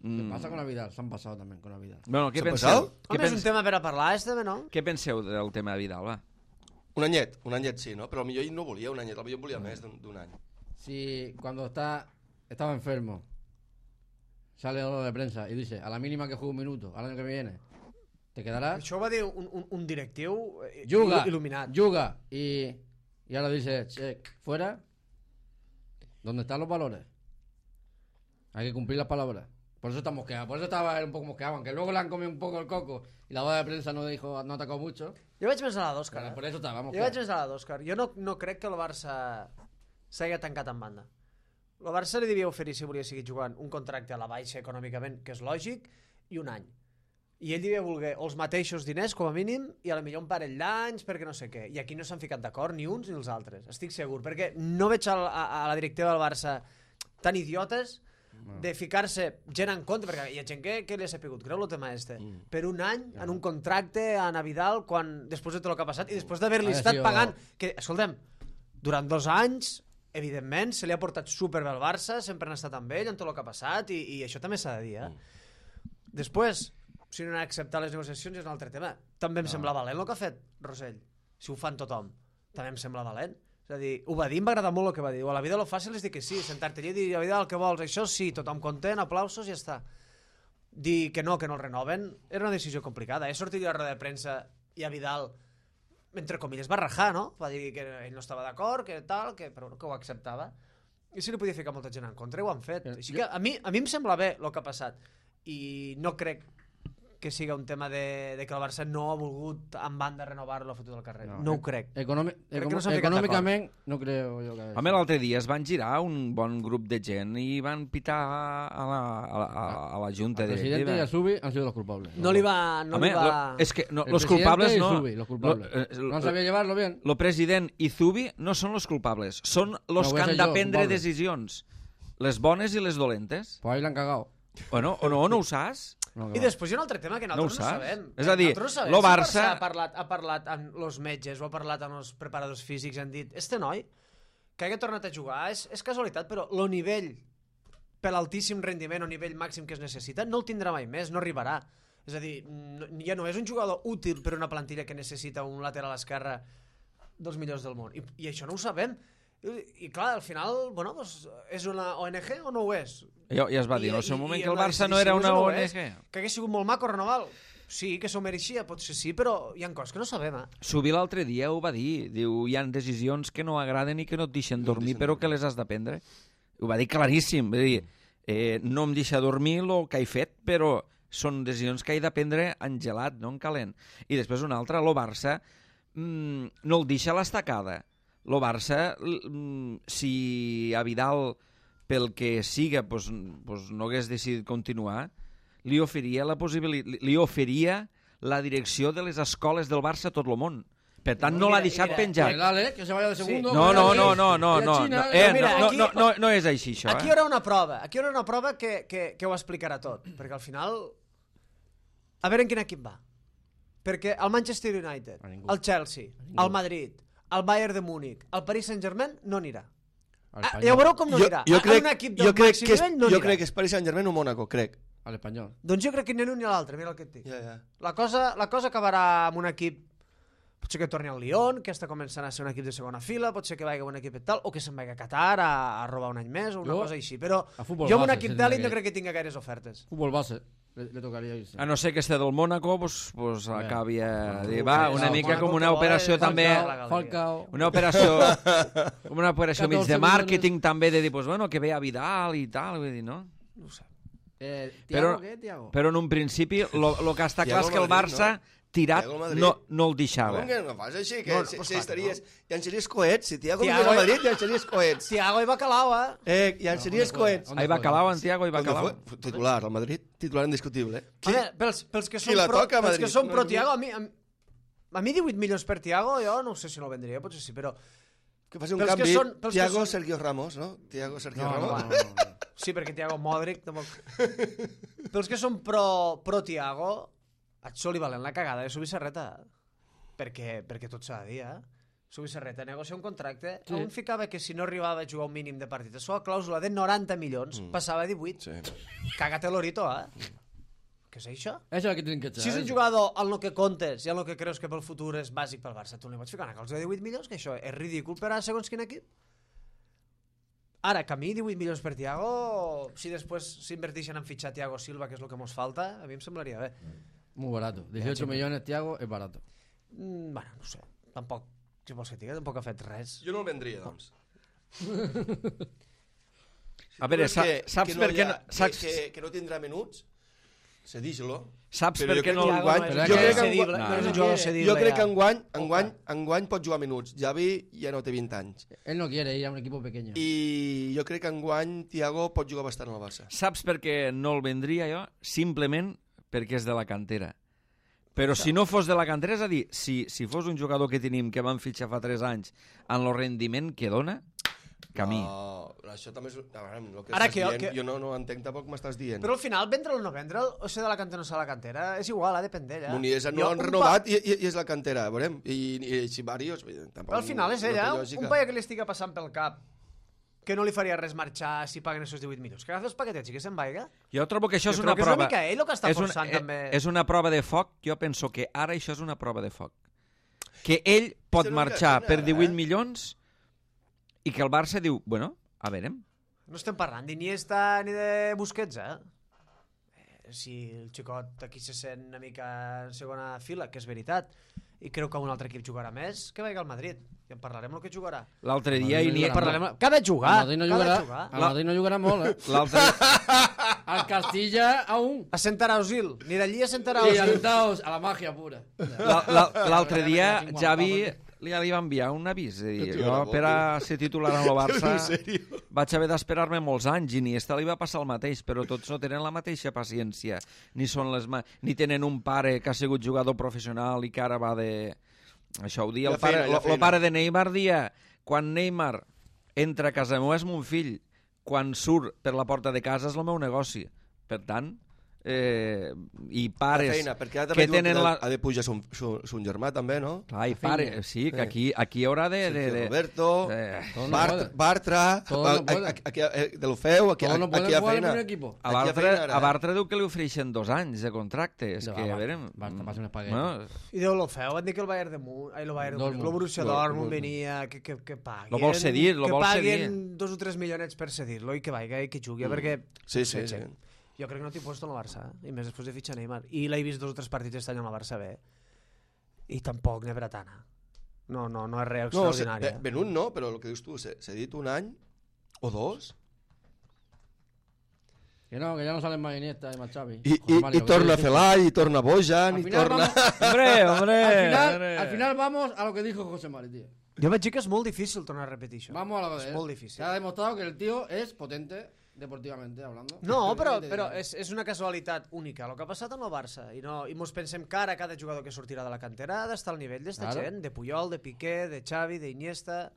¿Qué pasa con la Vidal? Se han pasado también con la Vidal. Bueno, què penseu? Home, és un tema per a parlar, no? Què penseu del tema de Vidal, va? Un anyet sí, ¿no? Pero a millor ell no volia un anyet, a millor volia més d'un any. Si cuando estaba enfermo, sale a la hora de prensa y dice, a la mínima que juegue un minuto, al año que viene, te quedarás. Això ho va dir un directiu il·luminat. Juga, y ahora dice, check, fuera. ¿Dónde están los valores? Hay que cumplir las palabras. Por eso está mosqueado, por eso estaba él un poco mosqueado, aunque luego le han comido un poco el coco y la boda de prensa no atacó mucho. Jo vaig més a la d'Òscar. Per això estava mosqueado. Jo vaig més a la d'Òscar. Jo no crec que el Barça s'hagi tancat en banda. El Barça li devia oferir, si volia seguir jugant, un contracte a la baixa econòmicament, que és lògic, i un any. I ell devia voler els mateixos diners, com a mínim, i a la millor un parell d'anys, perquè no sé què. I aquí no s'han ficat d'acord ni uns ni els altres. Estic segur, perquè no veig a la directiva del Barça tan idiotes de ficar-se gent en contra, perquè hi ha gent que li ha sapigut greu el tema per un any en un contracte a Vidal després de tot el que ha passat i després d'haver-li estat pagant que, escolta'm, durant 2 anys evidentment se li ha portat superbé al Barça, sempre han estat amb ell en tot el que ha passat i això també s'ha de dir després, si no han acceptat les negociacions és un altre tema, també em sembla valent el que ha fet Rosell, si ho fan tothom també em sembla valent. És a dir, ho va dir, em va agradar molt el que va dir. A la vida lo fàcil és dir que sí, sentar-te allà i dir, a la vida el que vols, això sí, tothom content, aplausos i ja està. Dir que no el renoven, era una decisió complicada. Sortir a la roda de premsa i a Vidal, entre comilles, va rajar, no? Va dir que ell no estava d'acord, que tal, però que ho acceptava. I si li podia ficar molta gent en contra, ho han fet. Així que a mi em sembla bé el que ha passat. I no crec que siga un tema de que el Barça no ha volgut en banda renovar-lo a futur del carrer. No ho crec. Crec que no s'han ficat econòmicament no creo jo que... Home, l'altre dia es van girar un bon grup de gent i van pitar a la junta El presidente directiva. y Subi han sido los culpables. No li va... Home, és que no, El los presidente culpables y no... Zubi, los culpables. No han sabido llevarlo bien. Lo president i Zubi no són los culpables, són los No, que voy a han ser yo, de prendre culpable. decisions. Les bones i les dolentes. Pues ahí la han cagado. O no ho saps? No, I després hi ha un altre tema que nosaltres No ho no, saps? sabem. És a dir, Nosaltres no sabem lo si Barça- ha parlat amb els metges o ha parlat amb els preparadors físics i han dit este noi que hagi tornat a jugar és casualitat, però el nivell per l'altíssim rendiment o nivell màxim que es necessita no el tindrà mai més, no arribarà. És a dir, ja no és un jugador útil per una plantilla que necessita un lateral esquerre dels millors del món. I això no ho sabem. I clar, al final, bueno, doncs, és una ONG o no ho és? Ja es va dir en el seu moment que el la Barça no era una decisió ONG. és. Que hagués sigut molt maco renovar-lo. Sí, que s'ho mereixia, potser sí, però hi ha coses que no sabem, Subi l'altre dia ho va dir. Diu, hi ha decisions que no agraden i que no et deixen dormir, però que les has de prendre. Ho va dir claríssim. Va dir, no em deixa dormir el que he fet, però són decisions que he de prendre en gelat, no en calent. I després una altra, el Barça no el deixa a l'estacada. El Barça, si a Vidal, pel que siga, pues no hagués decidit continuar, li oferia la direcció de les escoles del Barça a tot el món. Per tant, no l'ha deixat penjat. Dale, que se vaya de segundo. No és així, això. Aquí hi haurà una prova. Aquí hi haurà una prova que ho explicarà tot. Perquè al final... A veure en quin equip va. Perquè el Manchester United, el Chelsea, el Madrid, el Bayern de Múnich, el Paris Saint-Germain no anirà. Ja veureu com no anirà. Jo crec, un equip del màxim nivell no anirà. jo crec que és Paris Saint-Germain o Mónaco, crec. A l'Espanyol. Doncs jo crec que ni l'un ni l'altre, mira el que et dic. Ja. La cosa acabarà amb un equip, potser que torni al Lyon, que està començant a ser un equip de segona fila, potser que vagi a un equip de tal, o que se'n vagi a Qatar a robar un any més, o una cosa així. Però jo amb un equip d'elit no crec que tingui gaires ofertes. Futbol base. Le tocaria irse. A no ser que esté del Mónaco, pues acabi a dir, va, una mica com una operació també... Falcao. Una operació mig de màrqueting també, de dir, pues bueno, que ve a Vidal i tal, vull dir, no? No ho sé. Tiago, què, Tiago? Però en un principi, el que està clar és que el Barça tirat no el deixava. Com que no fas així? Que si estaries... Llançaries coets. Si Tiago vingués a Madrid, llançaries coets. Tiago i Bacalao, Llançaries coets. Ahí Bacalao, en Tiago i Bacalao. Titular, al Madrid. Titular indiscutible. Home, pels que són pro Tiago, a mi 18 milions per Tiago, jo no sé si no el vendria, potser sí, però... Que faci un canvi, Tiago, Sergio Ramos, no? Tiago, Sergio Ramos. Sí, perquè Tiago Modric tampoc... Pels que són pro Tiago, et soli valent la cagada de Subisarreta. Perquè tot s'ha de dir, Subisarreta negocia un contracte on ficava que si no arribava a jugar un mínim de partit, a la clàusula de 90 milions, passava a 18. Caga't l'orito, Què és això? Això és el que tenen que echar. Si és un jugador en el que comptes i en el que creus que pel futur és bàsic pel Barça, tu li pots ficar una clàusula de 18 milions, que això és ridícul per a segons quin equip. Ara, que a mi 18 milions per Tiago, si després s'inverteixen en fitxar Tiago Silva, que és el que ens falta, a mi em semblaria bé. Muy barato. 18 millones, Tiago, es barato. Bueno, no sé. Tampoc, si vols que et digui, tampoc ha fet res. Jo no el vendria, doncs. A veure, saps per què no... Que no tindrà menuts, cedix-lo. Saps per què no... Jo crec que enguany enguany pot jugar minuts. Javi ja no té 20 anys. Él no quiere ir a un equipo pequeño. I jo crec que enguany Tiago pot jugar bastant al Barça. Saps per què no el vendria jo? Simplement perquè és de la cantera. Però si no fos de la cantera, és a dir, si fos un jugador que tenim que van fitxar fa 3 anys en el rendiment que dona, camí. No, això també és... El que Ara estàs dient, jo no entenc tampoc m'estàs dient. Però al final, vendre'l o no vendre'l, o ser de la cantera o no ser de la cantera, és igual, depèn d'ella. Munies no han renovat i és la cantera, veurem. I si varios... Però al final és ella, un paia que li estigui passant pel cap que no li faria res marxar si paguen aquests 18 milions. Que agafi els paquetets i que se'n vaiga. Jo trobo que això és una prova... prova... És una mica ell el que està forçant també. És una prova de foc. Jo penso que ara això és una prova de foc. Que ell pot marxar per 18 milions i que el Barça diu, bueno, a veure... No estem parlant d'Iniesta ni de Busquets, Si el xicot aquí se sent una mica en segona fila, que és veritat, i creu que un altre equip jugarà més, que vagi al Madrid. I en parlarem el que jugarà. L'altre dia... Que ha de jugar. El Madrid no jugarà molt, al Castilla aún. A sentar a Osil. Ni d'allí a sentar a Y Osil. alentaos a la magia pura. L'altre dia Javi li va enviar un avís. Jo, per a ser titular en el Barça, vaig haver d'esperar-me molts anys. Iniesta li va passar el mateix, però tots no tenen la mateixa paciència. Ni tenen un pare que ha sigut jugador professional i que ara va de... Això ho dia el pare de Neymar dia, quan Neymar entra a casa meva és mon fill, quan surt per la porta de casa és el meu negoci. Per tant, i pares feina, perquè ara que tenen la... ha de pujar son germà també, no? Clar, i pare, sí, que aquí hi haurà de... Roberto, no Bartra, de l'Ofeu, aquí hi ha feina. A Bartra diu que li ofereixen 2 anys de contracte. És que, a veure... Bartra passa un espaguet. I de l'Ofeu, van dir que el Bayern de Munt, el Borussia Dortmund venia, que paguen... Lo vol cedir, que paguen 2 o 3 milionets per cedir-lo i que vaiga i que jugui, perquè... Sí. Jo crec que no t'hi puesto en el Barça, i més després de fitxar Neymar. I l'he vist 2 o 3 partits aquest any amb el Barça bé, i tampoc n'he bretana. No és res extraordinària. Venut no, però el que dius tu, s'ha dit 1 any o 2... Que no, que ya no salen más Iniesta y más Xavi. Y torna Felay, y torna Bojan, y torna... Hombre. Al final vamos a lo que dijo José Mari, tío. Jo vaig dir que és molt difícil tornar a repetir això. Vamos a lo que és molt difícil. Se ha demostrado que el tío es potente deportivamente hablando. No, però és una casualitat única. El que ha passat amb el Barça. I mos pensem que ara cada jugador que sortirà de la cantera ha d'estar al nivell d'esta gent, de Puyol, de Piqué, de Xavi, d'Iniesta...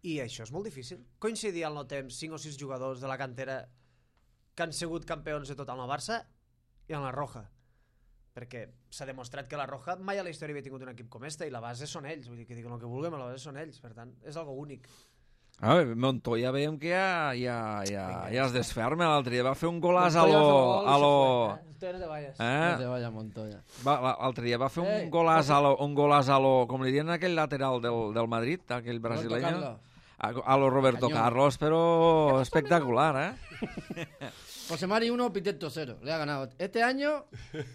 I això és molt difícil. Coincidir al no temps 5 o 6 jugadors de la cantera que han sigut campions de tot amb el Barça i amb la Roja. Perquè s'ha demostrat que la Roja mai a la història havia tingut un equip com este i la base són ells. Vull dir que diuen el que vulguem, la base són ells. Per tant, és algo únic. Montoya veiem que ja es desferma. L'altre dia va fer un golàs a lo... No te vayas. No te vayas, Montoya. L'altre dia va fer un golàs a lo... Com li diuen aquell lateral del Madrid, aquell brasileño. A lo Roberto Carlos, pero espectacular, José Mari 1, Piteto 0. Le ha ganado. Este año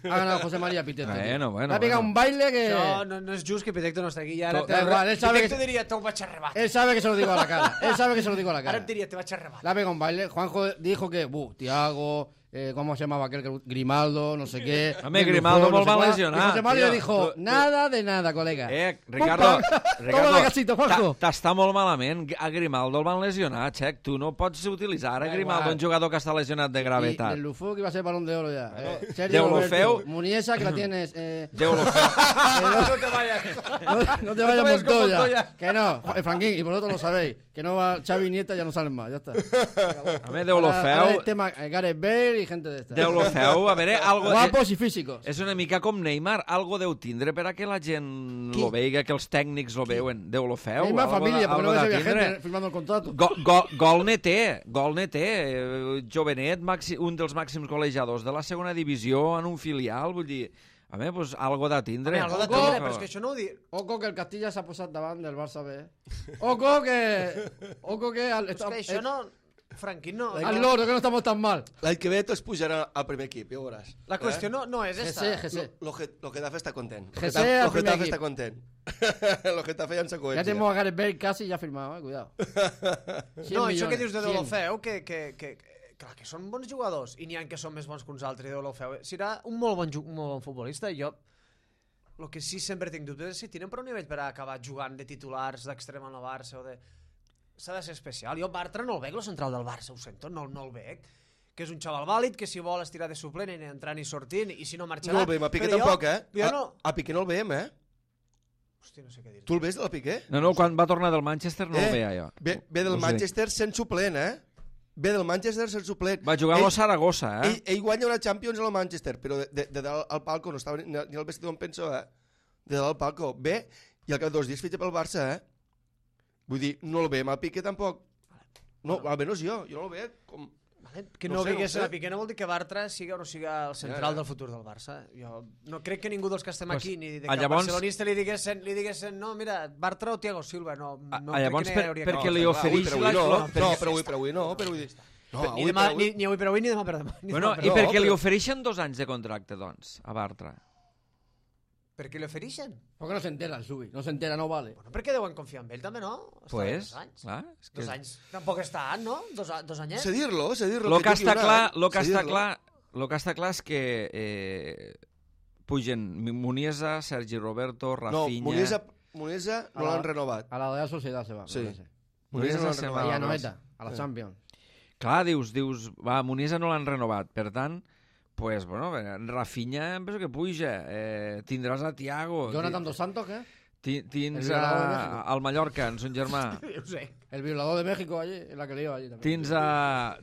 ha ganado José María Piteto. Bueno. Le ha pegado un baile que... No es just que Piteto no està aquí. Ara Piteto diria, te vaig a rebatir. Él sabe que se lo digo a la cara. Ara et diria, te vaig a rebatir. Le ha pegado un baile. Juanjo dijo que, Tiago... ¿cómo se llamaba aquel? Grimaldo, no sé qué. Hombre, Grimaldo molt mal lesionat. Y José Mario dijo, nada de nada, colega. Ricardo, toma de casito, Juanjo. T'està molt malament. A Grimaldo el van lesionar, Xec. Tu no pots utilitzar a Grimaldo, un jugador que està lesionat de gravetat. Y el Lufú que iba a ser Balón de Oro ya. Sergio Roberto, Muniesa, que la tienes. No te vayas. No te vayas, Montoya. Que no, Franquín, y vosotros lo sabéis. Que no va Xavi y Nieta, ya no salen más, ya está. A ver, Deulofeu... El tema Gareth Bale y gente de esta. Deulofeu, a veure, algo... Guapos y físicos. És una mica com Neymar, algo deu tindre per a que la gent lo veiga, que els tècnics lo veuen. Deulofeu, Neymar familia, porque no de había gente firmando el contrato. Gol neté, jovenet, un dels màxims golejadors de la segona divisió en un filial, vull dir... A veure, pues, algo de tindre. Algo de tindre, però és que això no ho dic. Oco que el Castilla s'ha posat davant del Barça B. Oco que... És que això no... Franquín, no... Al loro, que no estamos tan mal. L'any que ve tots pujaran al primer equip, ja ho veuràs. La qüestió no és esta. Gese. Lo Getafe està content. Gese Lo Getafe está content. Lo Getafe ya en secuencia. Ya tenemos a Gareth Bale casi ya firmado, cuidado. No, això que dius de Deulofeu, que clar, que són bons jugadors i n'hi ha que són més bons que uns altres. Deulofeu serà un molt bon futbolista. Jo el que sí sempre tinc dubtes és si tenen prou nivell per acabar jugant de titulars d'extrem en el Barça o de... S'ha de ser especial. Jo Bartra no el veig, el central del Barça, ho sento, no el veig. Que és un xaval vàlid, que si vol estirar de suplent i entrant i sortint, i si no marxarà... No el veiem, a Piqué tampoc, A Piqué no el veiem, Hòstia, no sé què dir. Tu el ves, el Piqué? No, quan va tornar del Manchester no el veia jo. Ve del Manchester sent suplent, Ve del Manchester sent suplent. Va jugar a Saragossa, Ell guanya una Champions a la Manchester, però de dalt al palco, no estava ni al vestidor on penso, De dalt al palco. Ve, i al cap de 2 dies fitxa pel Barça, Vull dir, no el veiem al Piqué tampoc. No, almenys jo no el veig com... Que no veigués a Piqué no vol dir que Bartra siga o no siga el central del futur del Barça. Jo no crec que ningú dels que estem aquí ni de cap barcelonista li diguessin no, mira, Bartra o Thiago Silva. No llavors, perquè li ofereix... No, però avui no. Ni avui per avui ni demà per demà. I perquè li ofereixen 2 anys de contracte, doncs, a Bartra? Per què li ofereixen? Perquè no s'entera el Subi, no s'entera, no vale. Bueno, perquè deuen confiar en ell també, no? Està Pues, 2 anys. clar, és que... 2 anys. Tampoc estan, no? 2 anyets. Cedir-lo. Lo que està clar és que pugen Muniesa, Sergi Roberto, No, Rafinha... Muniesa no l'han renovat. A la Real Sociedad se va. Sí. Muniesa no l'han se va. renovat. I a Noeta, a la Champions. Clar, dius, va, Muniesa no l'han renovat, per tant, pues, bueno, Rafinha em penso que puja, tindràs a Thiago, Jonathan Dos Santos, què? tins El violador de México. al Mallorca, en son germà, Ho sé. El violador de México allí, en la que le iba allí també.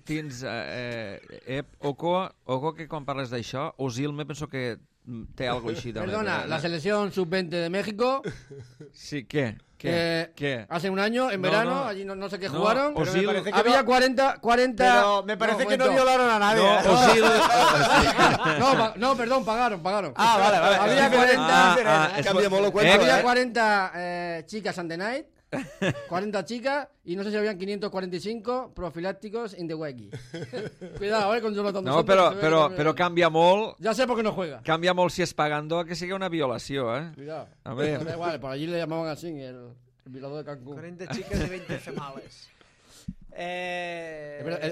tins Oco, que quan parles d'això, Osil me penso que té algo així també. Perdona, la selección sub-20 de México, Sí, ¿qué? que hace un año, en verano, allí no sé qué jugaron, Osil- Pero me parece que había no- 40... Pero me parece que no momento. violaron a nadie. No, ¿eh? Osil... No, perdón, pagaron. Ah, vale, vale. Había Es diferente, 40 es diferente, ¿eh? Cambia molt el cuento, Había eh? 40 chicas on the night, 40 chicas, y no sé si habían 545 profilácticos in the wiki. Cuidado, con Jonathan Dos No, Santos, però canvia molt, Ya sé por qué no juega. canvia molt si és pagando a que sigui una violació, eh? Cuidado. A ver. Da igual, por allí le llamaban así, el violador de Cancún. 40 chicas y 20 females.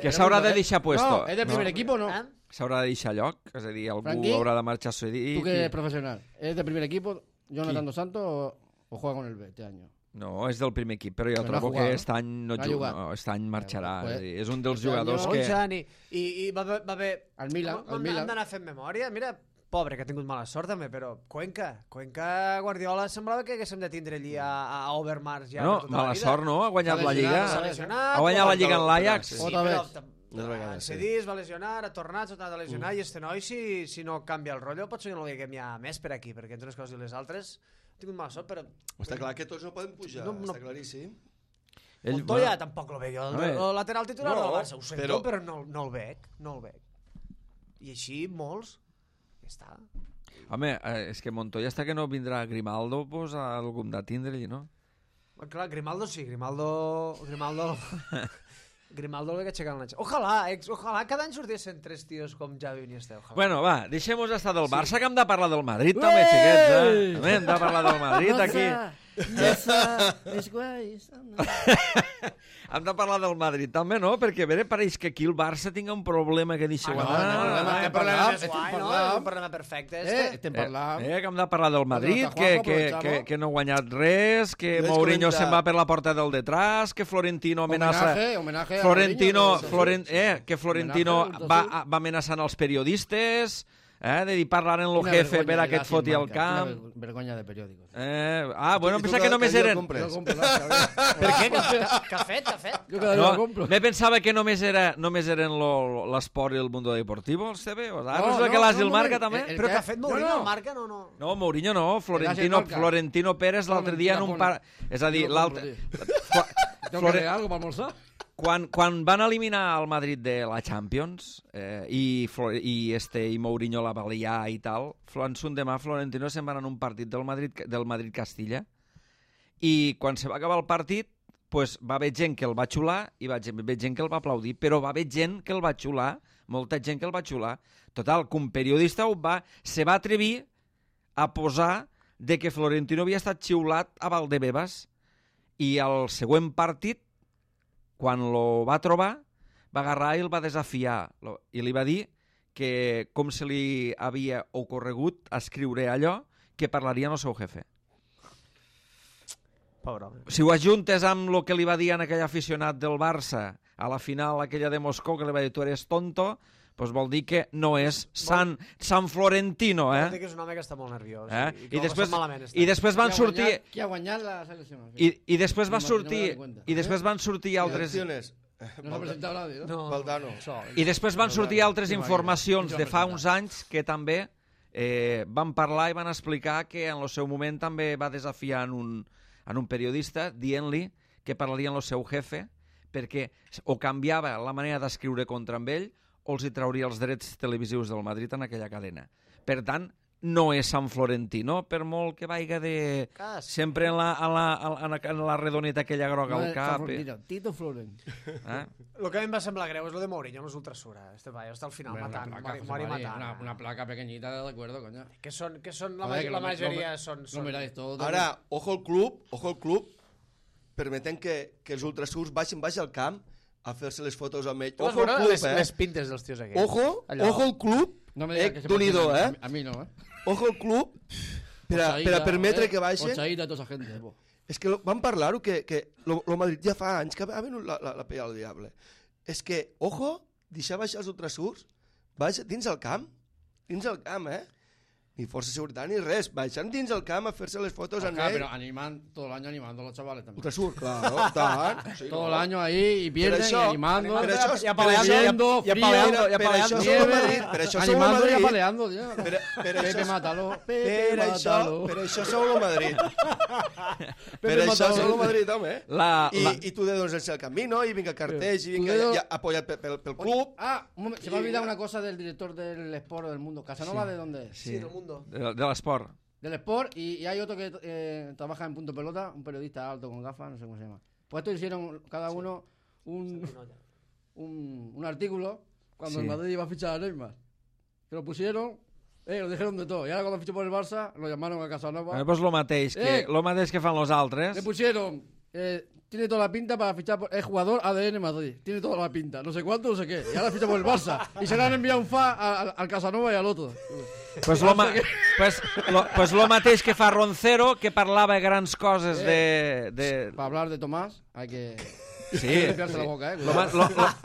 Que s'haurà de deixar puesto. No, es del primer equipo, ¿no? ¿Eh? S'haurà de deixar lloc, és a dir, algú Franqui, haurà de marxar cedit. Tú que eres profesional, ¿es del primer equipo Jonathan Dos Santos o juega con el B este año? No, és del primer equip, però jo Però no trobo ha jugat, que no? aquest any no No ha juga, jugat. no, aquest any marxarà. Pues, És a dir, és un dels este año- jugadors que... 11 anys i va haver... Al Milan, al Milan. Hem d'anar fent memòria. Mira, pobre, que ha tingut mala sort també, però Cuenca, Guardiola semblava que haguéssim de tindre allí a Overmars ja No, per tota mala la vida. sort, no? Ha guanyat la S'ha Lliga. S'ha lesionat. Ha guanyat la Lliga en l'Ajax. Sí, Otra però vez. Dos vegades, sí. cedís, va lesionar, ha tornat, s'ha tornat a lesionar, i este noi, si no canvia el rotllo, potser que no el veiem ja més per aquí, perquè entre unes coses i les altres ha tingut mala sort, però Està clar que tots no poden pujar, No, no. està claríssim. Montoya tampoc lo veig, Home. el lateral titular No, del Barça, ho sento, però- però no el veig, no el veig. I així molts, ja està. Home, és que Montoya està que no vindrà Grimaldo, pues algun de tindre-hi, no? Clar, Grimaldo sí, Grimaldo Grimaldo el veig aixecant la... Ojalà cada any sortissin 3 tios com Xavi i Iniesta. Ojalà. Bueno, va, deixem-nos estar del Barça, que hem de parlar del Madrid també, xiquets, eh? També hem de parlar del Madrid, aquí. Es guay. Hem de parlar del Madrid també, no? Perquè a veure, pareix que aquí el Barça tinga un problema que deixeu no, anar. estem problema parlant, més guai, estem no? parlant. Un problema perfecte, este. Estem parlant. Que hem de parlar del Madrid, Juanjo, aprovechamos. que no ha guanyat res, que Jo Mourinho comentar- se'n va per la porta del detrás, que Florentino amenaça... Homenaje a Florentino, Mourinho, que Florentino Homenaje, va amenaçant els periodistes, de dir parlar en lo Una jefe vergonya per a de que et Lazio foti en al marca, camp. una vergonya de periòdicos. Bueno, I tu pensava que només jo el eren... compres. Jo compro la Per què? Què ha fet? Jo cada dia la No, compro. me pensava que només eren l'esport i el mundo deportivo, el CB. Resulta que l'As i el Marca també. Però què ha fet Mourinho No. al Marca? No. No, Mourinho no, Marca. Florentino Pérez l'altre dia en un par... És a dir, Jo compro, l'altre... Tengo que hacer algo para almorzar. Quan van eliminar el Madrid de la Champions i Mourinho la va liar i tal, en son demà Florentino se'n va anar en un partit del Madrid-Castilla i quan se va acabar el partit pues, va haver gent que el va xular i va haver gent que el va aplaudir, però va haver gent que el va xular, molta gent que el va xular. Total, que un periodista se va atrevir a posar de que Florentino havia estat xiulat a Valdebebas i al següent partit, quan lo va trobar, va agarrar i el va desafiar i li va dir que com se li havia ocorregut escriure allò que parlaria el seu jefe. Pobre home. Si ho ajuntes amb el que li va dir a aquell aficionat del Barça a la final aquella de Moscou, que li va dir tu eres tonto, doncs vol dir que no és San Florentino, Vol dir que és un home que està molt nerviós. I que ho ha després, passat malament, està. i després van sortir Qui ha guanyat la selecció? i després va No me sortir doy cuenta. i després van sortir altres Elecciones. No s'ha presentat nadie, no? No, Valdano. i després van sortir altres Qui va informacions guanyar? de fa uns anys que també van parlar i van explicar que en el seu moment també va desafiar en un periodista dient-li que parlaria en el seu jefe perquè o canviava la manera d'escriure contra amb ell o els hi trauria els drets televisius del Madrid en aquella cadena. Per tant, no és Sant Florentino, per molt que vaiga de... Sempre en la redoneta aquella groga al cap. Tito Floren. El que a mi em va semblar greu és lo de Mourinho amb els ultrasura. Este paio està al final matant, mori matant. Una placa pequeñita de acuerdo, coño. Que són la majoria són... Ara, ojo al club, permeten que els ultrasurs baixin al camp a fer-se les fotos amb ell. Ojo al club, les pintes dels tios aquests. Ojo al club, Dunido, A mi no, Ojo al club, per a permetre que baixen. Ochaída, tota esa gente. És que vam parlar-ho, que el Madrid ja fa anys que ha venut la pella al diable. És que, ojo, deixar baixar els ultrasurs, dins el camp, Ni força de seguretat ni res. Baixant dins el camp a fer-se les fotos amb ell. Pero todo el año animando a los chavales también. Ultrasur, claro, tant. Sí, todo el año ahí y pierden y animando. Y apaleando, Per això som el Madrid. Y apaleando, tío. Pepe Mátalo. Per això som el Madrid. Per això som el Madrid, home. I tu de dones el camino, i vinga cartells, i vinga apoyar pel club. Un moment, se me ha olvidado una cosa del director del Sport del Mundo. ¿Casanova de dónde es? Sí, del mundo. De l'esport. Del Sport, y hay otro que trabaja en Punto Pelota, un periodista alto con gafas, no sé cómo se llama. Pues estos hicieron cada uno un artículo cuando el Madrid iba a fichar a Neymar. Que lo pusieron, lo dijeron de todo. Y ahora cuando fichó por el Barça, lo llamaron a Casanova. Pues lo mateix que fan los altres. Le pusieron... tiene toda la pinta para fichar por... Es jugador ADN Madrid. Tiene toda la pinta. No sé cuánto, no sé qué. Y ahora ficha por el Barça. Y se le han enviado un fa al Casanova y al otro. Pues lo mateix que fa Roncero, que parlava grans coses de... Para hablar de Tomás hay que... Sí. limpiarse la boca,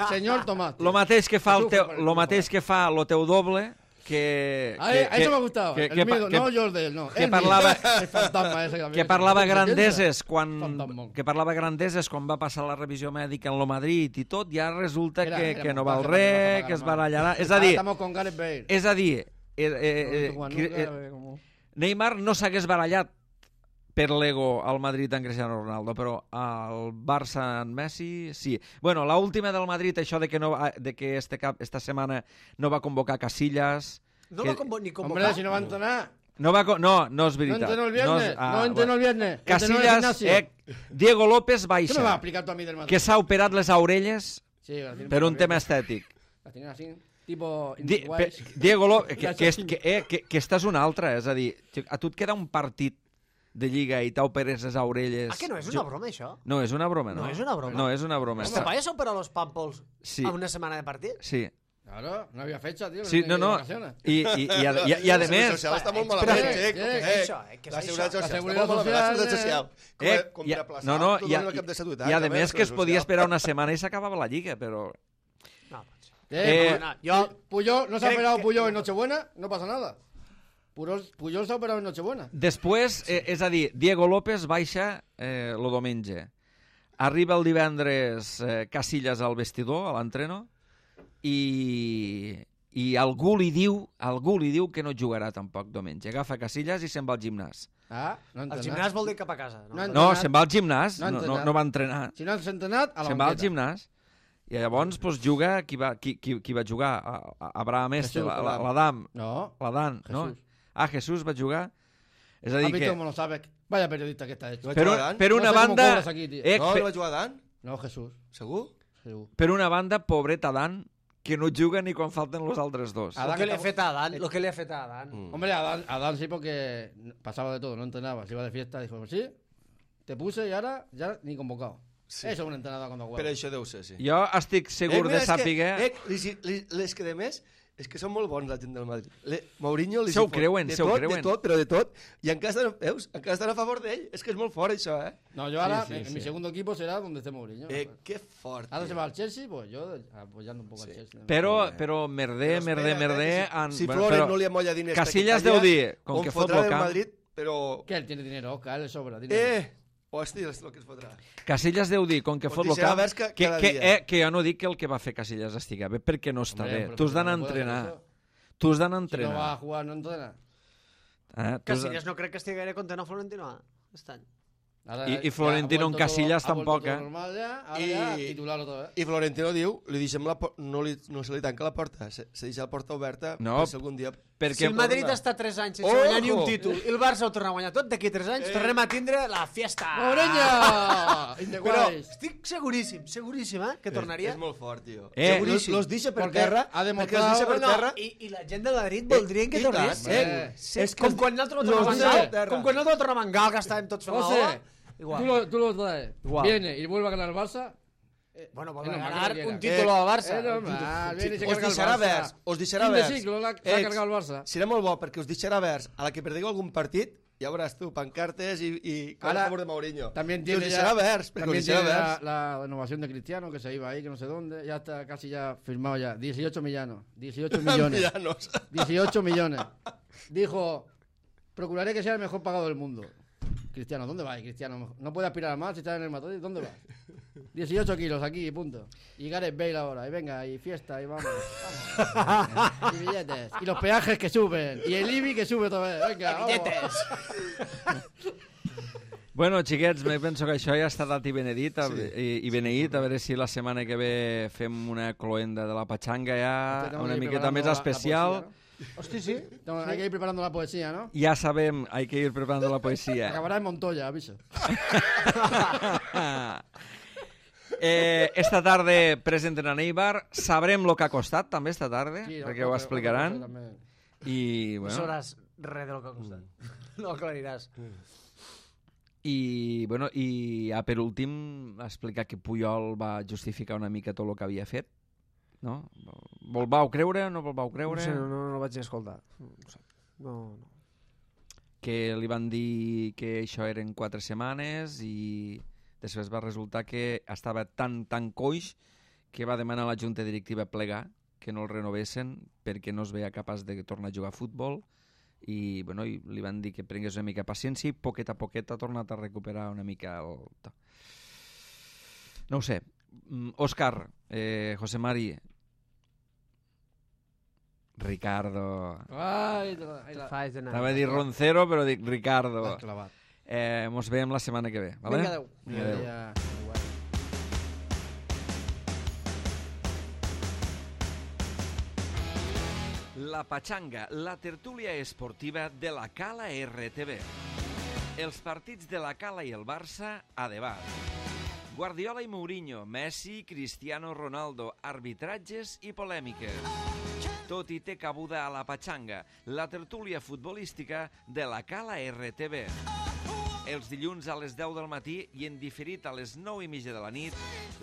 Señor Tomás. Lo mateix que fa el teu doble, que eso me ha gustado. No Jordi, no. Que parlava el fantasma ese que parlava grandeses quan va passar la revisió mèdica en lo Madrid i tot, ja resulta que no val res, que es barallarà. És a dir, Neymar no s'hagués barallat per l'ego al Madrid en Cristiano Ronaldo, però al Barça en Messi sí. Bueno, l'última del Madrid, això de que esta setmana no va convocar Casillas. No va ni convocar. Hombre, si no va a entrenar. No és veritat. No entrenó el viernes. Casillas, Diego López baixa. ¿Qué me va a explicar tú a mí del Madrid? Que s'ha operat les orelles per un tema estètic. La tienen así, tipo... Diego López, que esta és una altra, és a dir, a tu et queda un partit de Lliga i t'operes les orelles... Que no és una broma, això? No, és una broma, no. No és una broma? No, és una broma. ¿Este payo se operó los pàmpols a una setmana de partit? Sí. Claro, no había fecha, tío. Sí, no. I a més... Està molt malament, La seguretat social. I a més que es podia esperar una setmana i s'acabava la Lliga, però... Puyol, ¿no se ha operado Puyol en Nochebuena? No pasa nada. Puyol s'ha operat en Nochebuena. Després, és a dir, Diego López baixa el diumenge. Arriba el divendres Casillas al vestidor, a l'entreno, i algú li diu que no jugarà tampoc diumenge. Agafa Casillas i se'n va al gimnàs. El gimnàs vol dir cap a casa. No, se'n va al gimnàs, no va entrenar. Si no s'ha entrenat, a la banqueta. Se'n va al gimnàs. I llavors juga... Qui va jugar? Abraham l'Adam. No. L'Adam, no? Jesús va jugar. És a dir que... ¿Cómo lo sabes? Vaya periodista que está hecho. Per una banda... No va jugar Dan? No, Jesús. Segur? Per una banda, pobret Adán, que no juga ni quan falten los altres dos. Lo que le ha fet a Adán. Hombre, Adán sí, porque pasaba de todo, no entrenaba. Se iba de fiesta, dijo, sí, te puse y ahora ya ni convocado. Sí. Eso es un entrenador cuando juega. Per això deu ser, sí. Jo estic segur de sàpiga... Les que de més, és que són molt bons la gent del Madrid. Mourinho li se ho creuen. De tot, però de tot. I encara estan a favor d'ell. És que és molt fort, això, No, yo ahora, en mi segundo equipo será donde esté Mourinho. Que fort. Ahora se va al Chelsea, pues yo apoyando un poco al Chelsea. Però merder... Si Flores no li amolla diners... Casillas deu dir, com que fot lo camp... Madrid, però... Que él tiene dinero, Oscar, él le sobra. Hòstia, és el que es fotrà. Casillas deu dir, com que fot lo camp... Que jo no dic que el que va fer Casillas estigui bé, perquè no està bé. Tu has d'anar a entrenar. Si no va a jugar, no entrena. Casillas no crec que estigui gaire content a Florentino aquest any. I Florentino en Casillas tampoc, eh? Normal ja, ara ja titular otra vez. I Florentino diu, no se li tanca la porta, se deixa la porta oberta per si algun dia... Si el Madrid està 3 anys sense guanyar ni un títol i el Barça ho torna a guanyar tot, d'aquí 3 anys tornem a tindre la fiesta. ¡Mourinho! Però estic seguríssim, que tornaria. És molt fort, tio. Seguríssim. Los deixa per terra, ha perquè els deixa per terra... I la gent del Madrid voldrien que tornés. És com quan nosaltres ho tornem a Gal, que estàvem tots fent la ola. Igual. Tú lo traes. Igual. Viene y vuelve a ganar el Barça. Bueno, va a ganar un título al Barça. Viene y se Us carga el deixarà Barça. verds, us deixarà Fin de verds. ciclo, s'ha cargat el Barça. Serà molt bo, perquè us deixarà verds. A la que perdeu algun partit, ja veuràs tu, pancartes i Ahora, a favor de Mourinho. También I us tiene deixarà verds, perquè us también deixarà tiene verds. la renovación de Cristiano, que se iba ahí, que no sé dónde. Ya está casi ya firmado ya. 18 millones. 18 millones. Villanos. 18 millones. Dijo, procuraré que sea el mejor pagado del mundo. Cristiano, ¿dónde vas, Cristiano? No puede aspirar a más si está en el Madrid. ¿Dónde vas? 18 kilos aquí, punto. Y Gareth Bale ahora. Y venga, y fiesta, y vamos. Y billetes. Y los peajes que suben. Y el IBI que sube otra vez. Venga, vamos. Bueno, xiquets, me penso que això ja està dat i benedit i beneït, a veure si la setmana que ve fem una cloenda de la patxanga ja una miqueta més especial. Hosti, sí. Hay que ir preparando la poesía, ¿no? Ja sabem, hay que ir preparando la poesía. Acabará en Montoya, aviso. Esta tarda presenten a Neibar, sabrem lo que ha costat també esta tarda, Sí, perquè ho explicaran. I, No bueno, sabràs res de lo que ha costat. No aclariràs. i, bueno, i ja per últim explicar que Puyol va justificar una mica tot el que havia fet, no? Vol vau creure, no vol vau creure? No sé, no vaig escoltar. No. Que li van dir que això eren 4 setmanes i després va resultar que estava tan coix que va demanar a la junta directiva plegar, que no el renovessin perquè no es veia capaç de tornar a jugar a futbol i, bueno, i li van dir que prengués una mica paciència i poquet a poquet ha tornat a recuperar una mica el... No ho sé. Òscar, José Mari, Ricardo... Ai, Anava a dir Roncero, però dic Ricardo. l'has clavat. Mos veiem la setmana que ve. Vale? Vinga, adeu. Adeu. Ja. La Patxanga, la tertúlia esportiva de la Cala RTV. Els partits de la Cala i el Barça a debat. Guardiola i Mourinho, Messi, Cristiano Ronaldo, arbitratges i polèmiques. Tot hi té cabuda a la Patxanga, la tertúlia futbolística de la Cala RTV. Els dilluns a les 10 del matí i en diferit a les 9:30 de la nit,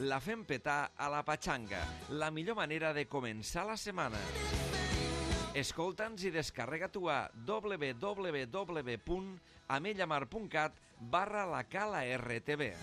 la fem petar a la Patxanga, la millor manera de començar la setmana. Escolta'ns i descarrega-t'ho a www.amellamar.cat/la Cala RTV.